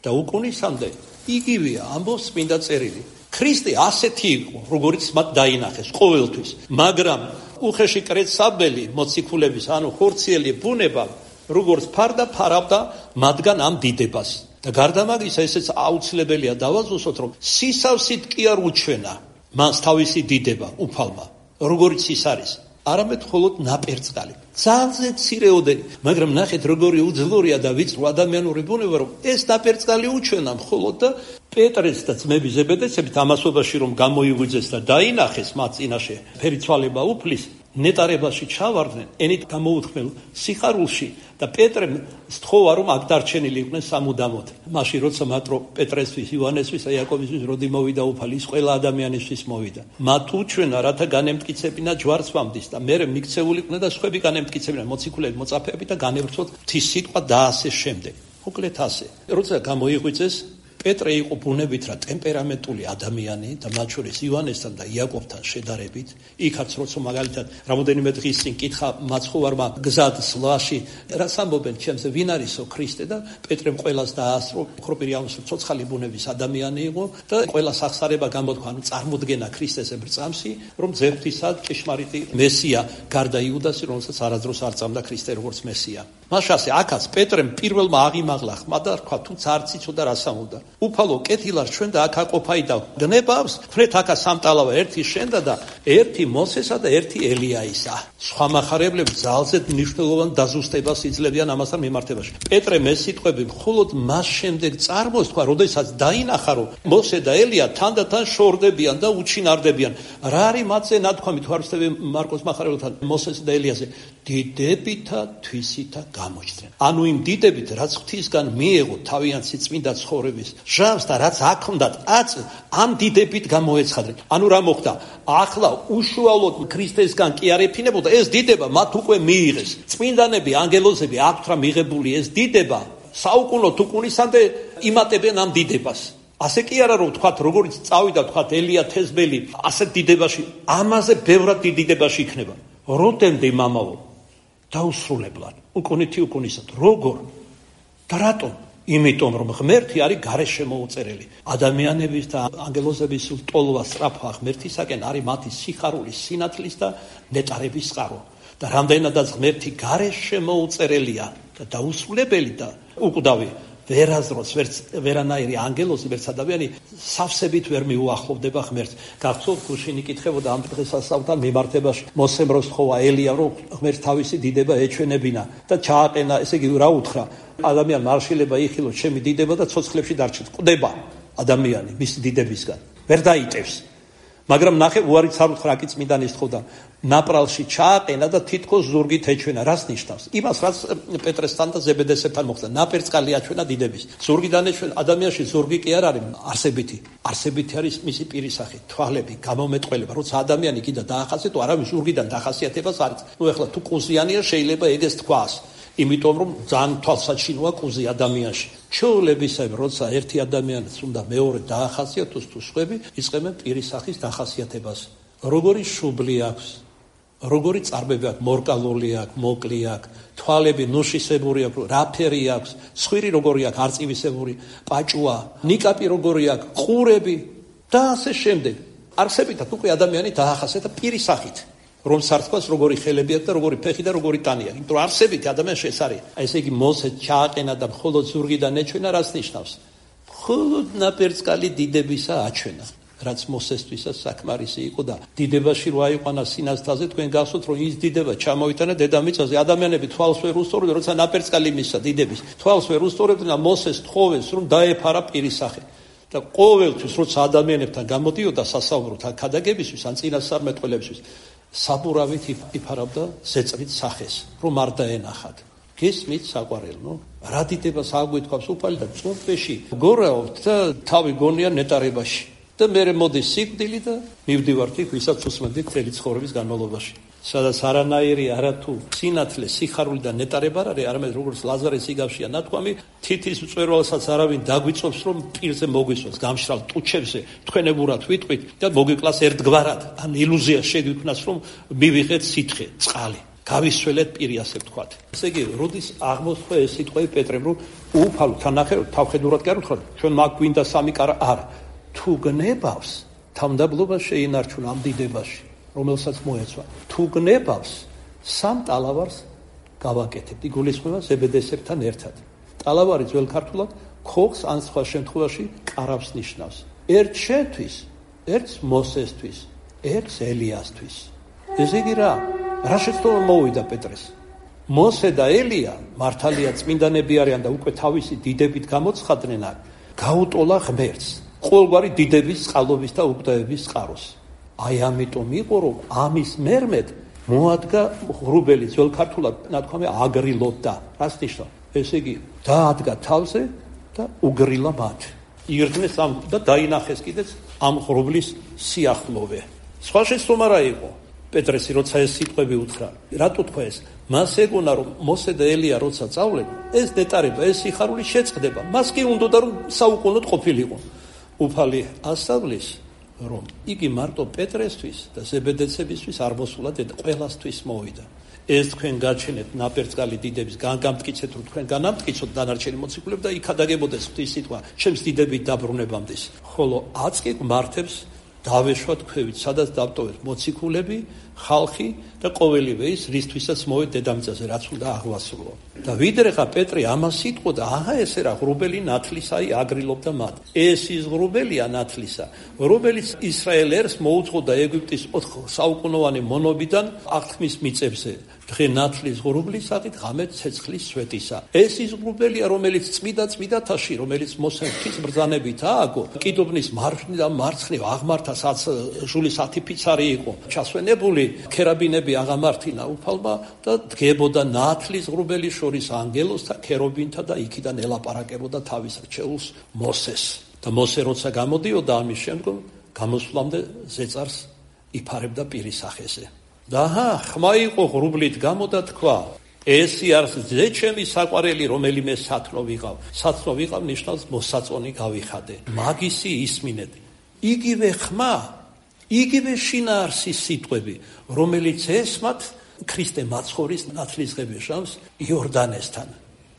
და უკუნისამდე იგივეა, ამბობს წმინდა წერილი. ქრისტე ასეთი იყო, როგორც მათ დაინახეს ყოველთვის, მაგრამ უხეში კრეცაბელი მოციქულების, ანუ ხორციელი ბუნება, როგორც ფარდა ფარავდა მათგან ამ დიდებას. და გარდა მაგისა, ესეც აუცილებელია დავაზუსტოთ, რომ სისავსით კი არ უჩვენა მას თავისი დიდება უფალმა, როგორც ის არის, არამედ მხოლოდ ნაპერწკალი. ძალზე მცირეოდენი, მაგრამ ნახეთ როგორი უძლურია და ვიწრო ადამიანური ბუნება, რომ ეს ნაპერწკალი უჩვენა მხოლოდ და პეტრეს და ძმების ზებედეცებით ამასობაში რომ გამოიღვიძეს და დაინახეს მათ წინაშე ფერიცვალება უფლის, ნეტარებაში ჩავარდნენ, ენით გამოუთქმელ სიხარულში და პეტრემ სთხოვა რომ აქ დარჩენილი იყვნენ სამუდამოდ. მაშინ როცა მატრო პეტრესთვის, იოანესთვის, იაკობისთვის როდი მოვიდა უფალი, ის ყველა ადამიანისთვის მოვიდა. მათ უჩვენა, რათა განემტკიცებინა ჯვარცმამდის და მერე მიქცეული იყვნენ და სხვები განემტკიცებინა, მოციქულები, მოწაფეები და განევრცოთ ღვთის სიტყვა და ასე შემდეგ. მოკლედ ასე. როცა გამოიღვიძეს, პეტრე იყო ბუნებით რა ტემპერამენტული ადამიანი და მათ შორის იოანესთან და იაკობთან შედარებით, იქაც როცა მაგალითად რამოდენიმე დღის წინ კითხა მაცხოვარმა გზად სლაში, რაც ამბობენ ჩემზე ვინ არისო ქრისტე და პეტრემ ყველას დაასწრო, ხროპირი ამის ცოცხალი ბუნების ადამიანი იყო და ყველას ახსარება გამოთქვა, ანუ წარმოდგენა ქრისტესებრ წამსი, რომ ძებთისა ჭეშმარიტი მესია გარდა იუდასი, რომელსაც არადროს არ წამდა ქრისტე როგორც მესია. მაშასე აქაც პეტრემ პირველმა აღიმაღლა ხმა და თქვა თუც არც იცოდა რა სამუდა. უფალო კეთილად ჩვენ და აქ აყოფაი და გნებავს, ხრეთ აქა სამტალავა, ერთი შენდა და ერთი მოსესა და ერთი ელიაისა. სხვა מחარებლები ძალზედ მნიშვნელოვან დაზუსტებას იძლევიან ამასთან მიმართებაში. პეტრემ ეს სიტყვები მხოლოდ მას შემდეგ წარმოს თქვა, როდესაც დაინახა, რომ მოსე და ელია თანდათან შორდებიან და უჩინარდებიან. რა არის მათზე ნათქვამი თუ არ ვცდები მარკოს מחარებელთან მოსეს და ელიაზე? დიდებითა თვისითა გამოჩნდნენ. ანუ იმ დიდებით, რაც ღვთისგან მიეღო თავიანთი წმინდა ცხოვრების ჟამს და რაც აქამდათ ამ დიდებით გამოეცხადნენ. ანუ რა მოხდა? ახლა უშუალოდ ქრისტესგან კი არ ეფინებოდა ეს დიდება, მათ უკვე მიიღეს. წმინდანები, ანგელოზები აქვთ რა მიღებული ეს დიდება, საუკუნოდ უკუნისამდე იმატებენ ამ დიდებას. ასე კი არა რომ თქვათ, როგორც წავიდა თქვათ ელია თესბელი, ასეთ დიდებაში, ამაზე ბევრად დიდ დიდებაში იქნება. როდემდე მამაო? დაუსრულებლად. უკუნითი უკუნისად. როგორ და რატომ? იმიტომ რომ ღმერთი არის გარეშე შემოუწერელი. ადამიანების და ანგელოზების ტოლვა სწრაფვა ღმერთისაკენ არის მათი სიხარულის, სინათლის და ნეტარების წყარო. და რამდენადაც ღმერთი გარეშე შემოუწერელია და დაუსრულებელი და უკვდავი, ვერაზროს ვერანაირი ანგელოზი, ვერც ადამიანი სავსებით ვერ მიუახლოვდება ღმერთს. გახსოვთ, გუშინი კითხებოდა ამ დღესასწაულთან მიმართებაში, მოსემ რო სთხოვა ელია, რომ ღმერთს თავისი დიდება ეჩვენებინა და ჩააყენა, ესე იგი რა უთხრა, ადამიან მარშილება იხილოს ჩემი დიდება და ცოცხლებში დარჩეთ. ყვდება ადამიანი მისი დიდებისგან, ვერ დაიტევს. მაგრამ ნახე, უარიც არ უთხრა, კი წმინდანი სთხოვდა, ნაპრალში ჩააყენა და თითქოს ზურგით ეჩვენა. რას ნიშნავს? იმას, რაც პეტრესთან და ზებედესებთან მოხდა. ნაპერწკალი აჩვენა დიდების. ზურგიდან ეჩვენა. ადამიანში ზურგი კი არ არის არსებითი. არსებითი არის მისი პირისახი, თვალები, გამომეტყველება. როცა ადამიანი კიდე დაახასიათო, არავის ზურგიდან დახასიათებას არის. ეხლა თუ კუზიანია, შეიძლება ეგეს თქვას. იმიტომ რომ ძალიან თვალსაჩინოა კუზი ადამიანში. ჩვეულებისაებ, როცა ერთი ადამიანს უნდა მეორე დაახასიათოს თუ სხვები, იწყებენ პირისახის დახასიათებას. როგორი შუბლი აქვს, როგორი წარბები აქვს, მორკალული აქვს, მოკლი აქვს, თვალები ნუშისებური აქვს, რაფერი აქვს, სხვირი როგორი აქვს, არწივისებური, პაჭუა, ნიკაპი როგორი აქვს, ყურები და ასე შემდეგ. არსებითად უკვე ადამიანი დაახასიათა პირისახით. რომ სართქოს როგორი ხელები აქვს და როგორი ფეხი და როგორი ტანი აქვს. იმიტომ რომ არსებითი ადამიანში ეს არის. ესე იგი მოსე ჩააყენა და მხოლოდ ზურგიდან ეჩვენა, რას ნიშნავს? მხოლოდ ნაპერწკალი დიდებისა აჩვენა. რაც მოსესთვისაც საკმარისი იყო და დიდებაში რო აიყვანა სინასთაზე, თქვენ გახსოვთ რომ ის დიდება ჩამოიტანა დედამიწაზე. ადამიანები თვალს ვერ უსწორებდნენ, როცა ნაპერწკალი მისცა დიდების. თვალს ვერ უსწორებდნენ და მოსეს თხოვეს რომ დაეფარა პირისახე. და ყოველთვის როცა ადამიანებთან გამოდიოდა სასაუბრო ქადაგებისთვის ან წინასწარმეტყველებისთვის, საბურავით იფარავდა ზეწრით სახეს, რომ არ დაენახათ. გესმით საყვარელო? რა დიდებას აგვეთქვავს უფალი და წუნფეში გორაობთ და თავი გონია ნეტარებაში. და მე მოდის სიკვდილი და მივდივართ იქ, ვისაც უსმენდით მთელი ცხოვრების განმავლობაში. სადაც არანაირი არათუ სინათლე, სიხარული და ნეტარება არ არის, არამედ როგორც ლაზარეს იგავშია ნათქვამი, თითის მწვერვალსაც არავინ დაგვიწობს, რომ პირზე მოგვისვას, გამშრალ ტუჩებზე თქვენებურად ვიტყვით და მოგიკლას ერთგვარად, ან ილუზია შეგიქმნას, რომ მივიღეთ სითხე, წყალი. გავისველეთ პირი, ასე ვთქვათ. ესე იგი, როდის აღმოსხვა ეს სიტყვები პეტრემ, რომ უფალო, თანახე თავხედურად კი არ უთხრა, ჩვენ მაგ გვინდა სამი კარა, არა. თუ გნებავს, თავმდაბლობა შეინარჩუნა ამ დიდებაში, რომელსაც მოეცვა. თუ გნებავს, სამ ტალავარს გავაკეთებთ. იგულისხმება ზებედესებთან ერთად. ტალავარი ძველ ქართულად ქოხს ან სხვა შემთხვევაში კარავს ნიშნავს. ერთ შენთვის, ერთს მოსესთვის, ერთს ელიასთვის. ესე იგი რა შეცდომა მოვიდა პეტრეს? მოსე და ელია, მართალია წმინდანები არიან და უკვე თავისი დიდებით გამოცხადნენ, გაუტოლა ღმერთს. ყოველგვარი დიდების, წყალობის და უკვდავების წყაროს. აი ამიტომ იყო, რომ ამის მერმედ მოადგა ღრუბელი, ძველ ქართულად ნათქვამი აგრილობდა. რას ნიშნავს? ესე იგი, დაადგა თავზე და უგრილა მათ. ირგნეს ამ და დაინახეს კიდეც ამ ღრუბლის სიახლოვე. სხვა შეცდომა რა იყო? პეტრესი როცა ეს სიტყვები უთხრა, რატო თქვა ეს? მას ეგონა რომ მოსე და ელია როცა წავლენ, ეს ნეტარება, ეს სიხარული შეწყდება. მას კი უნდოდა რომ საუკუნოდ ყოფილიყო. უფალი ასწავლის, რომ იგი მარტო პეტრესთვის და ზებედեցებისთვის არ მოსულა და ყველასთვის მოვიდა. ეს თქვენ გაჩენეთ ნაპერწკალი დიდების, გამტკიცეთ რომ თქვენ განამტკიცოთ დანარჩენი მოციქულები და იქ ადაგებოდეს ღვთის სიტყვა, ჩემს დიდებით დაბრუნებამდის. ხოლო აწკი მართებს დავეშვათ ქვევით, სადაც დავტოვეთ მოციქულები, ხალხი და ყოველივე ის, რისთვისაც მოვედ დედამიწაზე, რაც უნდა აღვასრულო. და ვიდრე ხა პეტრი ამას იტყოდა, აჰა ესე რა ღრუბელი ნათლისა, აი აგრილობდა მათ. ეს ის ღრუბელია ნათლისა, რომელიც ისრაელ ერს მოუწყოდა ეგვიპტის 4 საუკუნოვანი მონობიდან აღთქმის მიწებზე. დღე ნათლის ღრუბლისაღით, ღამე ცეცხლის სვეტისა. ეს ის ღრუბელია, რომელიც წმიდათაში, რომელიც მოსემ ღვთის ბრძანებით ააგო, კიდობნის მარჯვნივ და მარცხნივ აღმართა, სადაც ჟულის 10 ფიცარი იყო ჩასვენებული, ქერაბინები აღამართინა უფალმა და დგებოდა ნათლის ღრუბელის შორის ანგელოზთა, ქერობინთა და იქიდან ელაპარაკებოდა თავის რჩეულს მოსეს. და მოსე როცა გამოდიოდა ამის შემდგომ, გამოსვლამდე ზეწარს იფარებდა პირის სახეზე. და ხმა იყო ღრუბლით გამოდა თქვა, ესი არის ზეჩემი საყვარელი, რომელიმე სათნო ვიყავ. სათნო ვიყავ ნიშნავს მოსაწონი გავიხადე. მაგისი ისმინეთ. იგივე ხმა, იგივე შინაარსის სიტყვები, რომელიც ესმათ ქრისტე მაცხოვრის ნათლისღებიშავს იორდანესთან.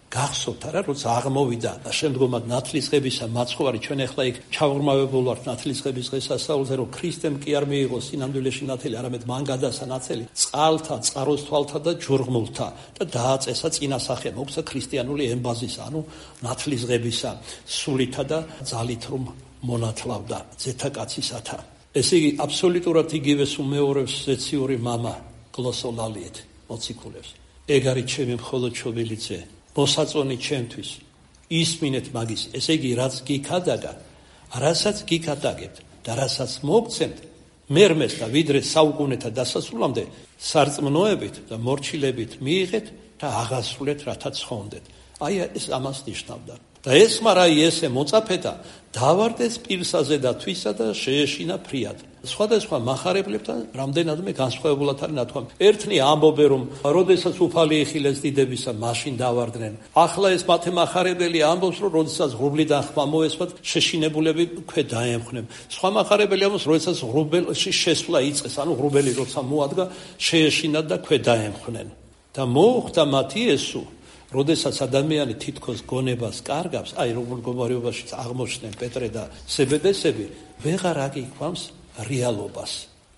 გახსოვთ არა, როცა აღმოვიდა შემდგომად ნათლისღებისა მაცხოვარი, ჩვენ ახლა იქ ჩაურმავებულ ვართ ნათლისღების დღესასწაულზე, რომ ქრისტემ კი არ მიიღო სინამდვილეში ნათელი, არამედ მან გადასცა ნათელი წყალთა, წყაროს თვალთა და ჯურღმულთა და დააწესა წინასახე, მოგცა ქრისტიანული ემბაზისა, ანუ ნათლისღებისა სულითა და ძალით რომ მონათლავდა ძეთა-კაცისათა. ესე იგი აბსოლუტურად იგივეს უმეორებს ზეციური მამა გლოსოლალიეთ მოციქულებს. ეგ არის ჩემი მხოლოდ შობილი ძე, მოსაწონი ჩემთვის, ისმინეთ მაგის, ესე იგი რაც გიქადაგა, რასაც გიქადაგებთ და რასაც მოგცემთ, მერმეს და ვიდრე საუკუნეთა დასასრულამდე სარწმუნოებით და მორჩილებით მიიღეთ და აღასრულეთ, რათა ცხონდეთ. აი ეს ამას ნიშნავდა. და ეს მარაი ესე მოწაფეთა დავარდეს პირსაზე და თვისა და შეეშინა ფრიად. სხვადასხვა მახარებლებთან რამდენადმე განსხვავებულად არის ნათქვამი. ერთნი ამბობენ, რომ როდესაც უფალი იხილეს დიდებისა, მაშინ დავარდნენ. ახლა ეს მათე მახარებელი ამბობს, რომ როდესაც ღრუბლიდან ხმა მოესვათ, შეშინებულები ქვე დაემხნენ. სხვა მახარებელი ამბობს, როდესაც ღრუბელში შესვლა იწყეს, ანუ ღრუბელი როცა მოადგა, შეეშინათ და ქვე დაემხნენ. და მოუხდა მათ იესო, როდესაც ადამიანი თითქოს გონებას კარგავს, აი როგორ მდგომარეობაშიც აღმოჩნდნენ პეტრე და სებედესები, ვეღარ აგიქვამს რეალობას.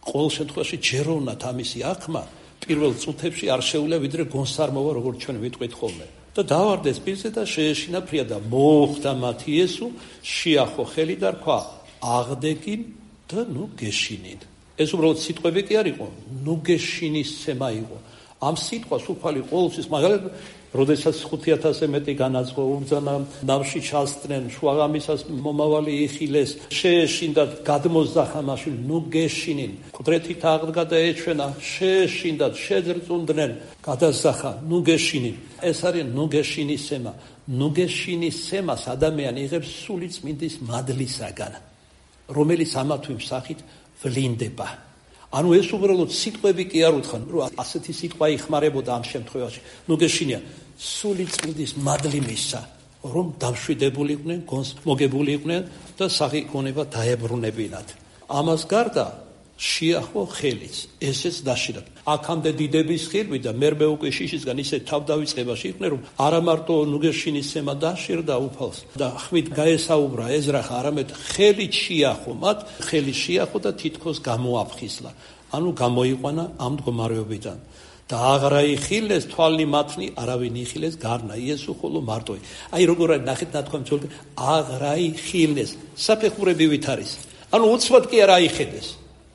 ყოველ შემთხვევაში ჯეროვნად ამისი აღქმა პირველ წუთებში არ შეუძლია ვიდრე გონსარმოვა, როგორც ჩვენ ვიტყვით ხოლმე. და დავარდეს პირზე და შეეშინა ფრია და მოუხდა მათ იესო, შეახო ხელი და რქვა, აღდეგინ და ნუ გეშინინ. ეს უბრალოდ სიტყვები კი არ იყო, ნუ გეშინის სცემა იყო. ამ სიტყვას უფალი ყოველთვის მაგალითად როდესაც 5000-ზე მეტი განაცხო უბრძანა, ნავში ჩასწნენ, შუაღამისას მომავალი იხილეს, შეეშინდათ, გადმოსძახა მაშინ, ნუ გეშინინ, ყდრეთით აღდგა და ეჩვენა, შეეშინდათ, შეძრწუნდნენ, გადასძახა, ნუ გეშინინ. ეს არის ნუ გეშინის სემა. ნუ გეშინის სემას ადამიანი იღებს სული წმინდის მადლისაგან, რომელიც ამა თუ იმ სახით ვლინდება. ანუ ეს უბრალოდ სიტყვები კი არ უთხრან, რომ ასეთი სიტყვა იხმარებოდა ამ შემთხვევაში. ნუ გეშინია, სული წმინდის მადლი მისცა, რომ დამშვიდებულიყვნენ, გონს მოგებული იყვნენ და სახი გონება დაებრუნებინათ. ამას გარდა შეახო ხელიც, ესეც დაშირავ. აქამდე დიდების ხილვი და მერმე უკვე შიშისგან ისე თავდავიწყებაში იყვნენ, რომ არა მარტო ნუგეშინის სემა დაშირდა უფალს და ხმით გაესაუბრა ეზრახა, არამედ ხელით შეახო მათ, ხელი შეახო და თითქოს გამოაფხიზლა. ანუ გამოიყვანა ამ მდგომარეობიდან. და აღრა იხილეს თვალი მათნი, არავინ იხილეს გარნა იესო ხოლო მარტოი. აი როგორ არის ნახეთ ნათქვამი ძველი, აღრა იხილეს, საფეხურებივით არის. ანუ უცბად კი არ აიხედეს.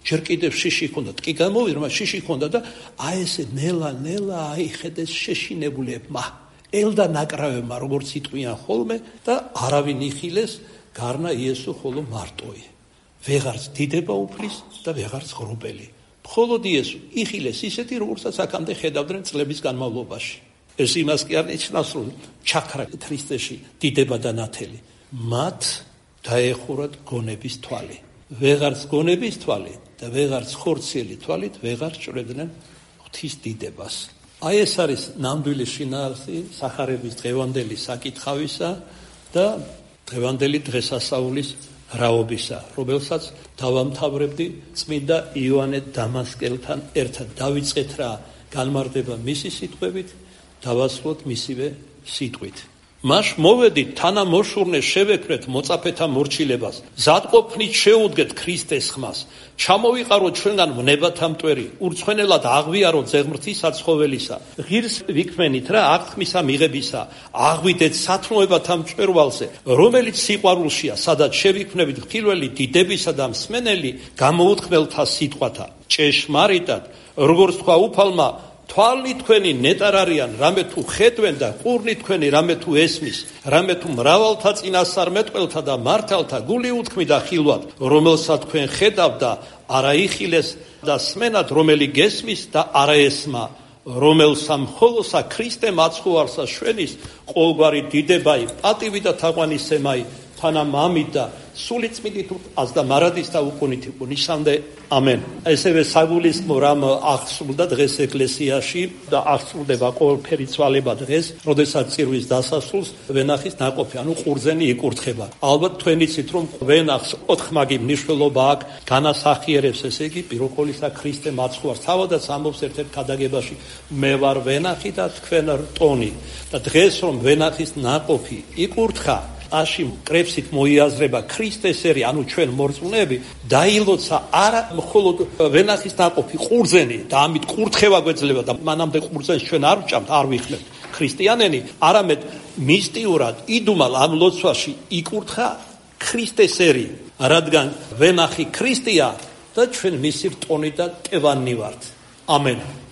ჯერ კიდევ შიში ჰქონდა, ტკი გამოვიდა, შიში ჰქონდა და აი ესე ნელა აიხედეს შეშინებულებმა, ელდა ნაკრავებმა, როგორც იტყვიან ხოლმე და არავინ იხილეს გარნა იესო ხოლო მარტოი. ვეღარც დიდება უფლის და ვეღარც ღრუბელი. მხოლოდ იესო იხილეს ისეთი, როგორცაც აქამდე ხედავდნენ წლების განმავლობაში. ეს იმას კი არ ნიშნავს, რომ ჩაქრა ქრისტეში დიდება და ნათელი. მათ დაეხურათ გონების თვალი. ვეღარც გონების თვალი და ვეღარც ხორციელი თვალით ვეღარ ჭრედნენ ღვთის დიდებას. აი ეს არის ნამდვილი შინაარსი სახარების დღევანდელი საკითხავისა და დღევანდელი დღესასწაულის რაობისა, რომელსაც დავამთავრებდი წმინდა იოანე დამასკელთან ერთად. დავიწყეთ რა განმარტება მისი სიტყვებით, დავასრულოთ მისივე სიტყვით. მას მოვედით თანამოშურნე შევექმნეთ მოწაფეთა მორჩილებას, ზადყოფნით შეუდგეთ ქრისტეს ხმას, ჩამოვიყაროთ ჩვენგან ვნებათა მტვერი, ურცხვენელად აღვიაროთ ზეღმრთის საცხოველისა, ღირს ვიქმენით რა აღთქმისა მიღებისა, აღვიდეთ სათნოებათა მჭვერვალზე, რომელიც სიყვარულშია, სადაც შევიქმნებით ხილველი დიდებისა და მსმენელი გამოუთქმელთა სიტყვათა. ჭეშმარიტად, როგორც თქვა უფალმა, თვალნი თქვენი ნეტარ არიან, რამე თუ ხედვენ და ყურნი თქვენი რამე თუ ესმის, რამე თუ მრავალთა წინასწარმეტყველთა და მართალთა გული უთქმი და ხილვად, რომელსაც თქვენ ხედავთ და არა იხილეს და სმენად, რომელი გესმის და არა ესმა, რომელსა მხოლოსა ქრისტე მაცხოვარსა შვენის, ყოველგვარი დიდებაი, პატივი და თაყვანისცემაი თანამამით და სული წმინდით და მარადის და უკუნით ნიშნამდე ამენ. ესევე საგულისხმო რამ აღსრულდა დღეს ეკლესიაში და აღსრულდება ყოველფერი ცვალება დღეს, როდესაც წირვის დასასრულს ვენახის ნაყოფი, ანუ ყურძენი იკურთხება. ალბათ თქვენ იცით, რომ ვენახს ოთხმაგი მნიშვნელობა აქვს, განასახიერებს ესე იგი პიროყოლისა ქრისტე მაცხვარს. თავადაც ამბობს ერთ-ერთ ქადაგებაში, მე ვარ ვენახი და თქვენ რტონი. და დღეს რომ ვენახის ნაყოფი იკურთხა, აში კრებსით მოიაზრება ქრისტესერი, ანუ ჩვენ მორწმუნეები, დაილოცა არა მხოლოდ ვენახის ნაყოფი, ყურძენი და ამით კურთხევა გვეძლება და მანამდე ყურძენს ჩვენ არ ვჭამთ, არ ვიხმებთ ქრისტიანენი, არამედ მისტიურად იდუმალ ამ ლოცვაში იკურთხა ქრისტესერი, რადგან ვენახი ქრისტეა და ჩვენ მისი რტონი და ტევანი ვართ. ამენ.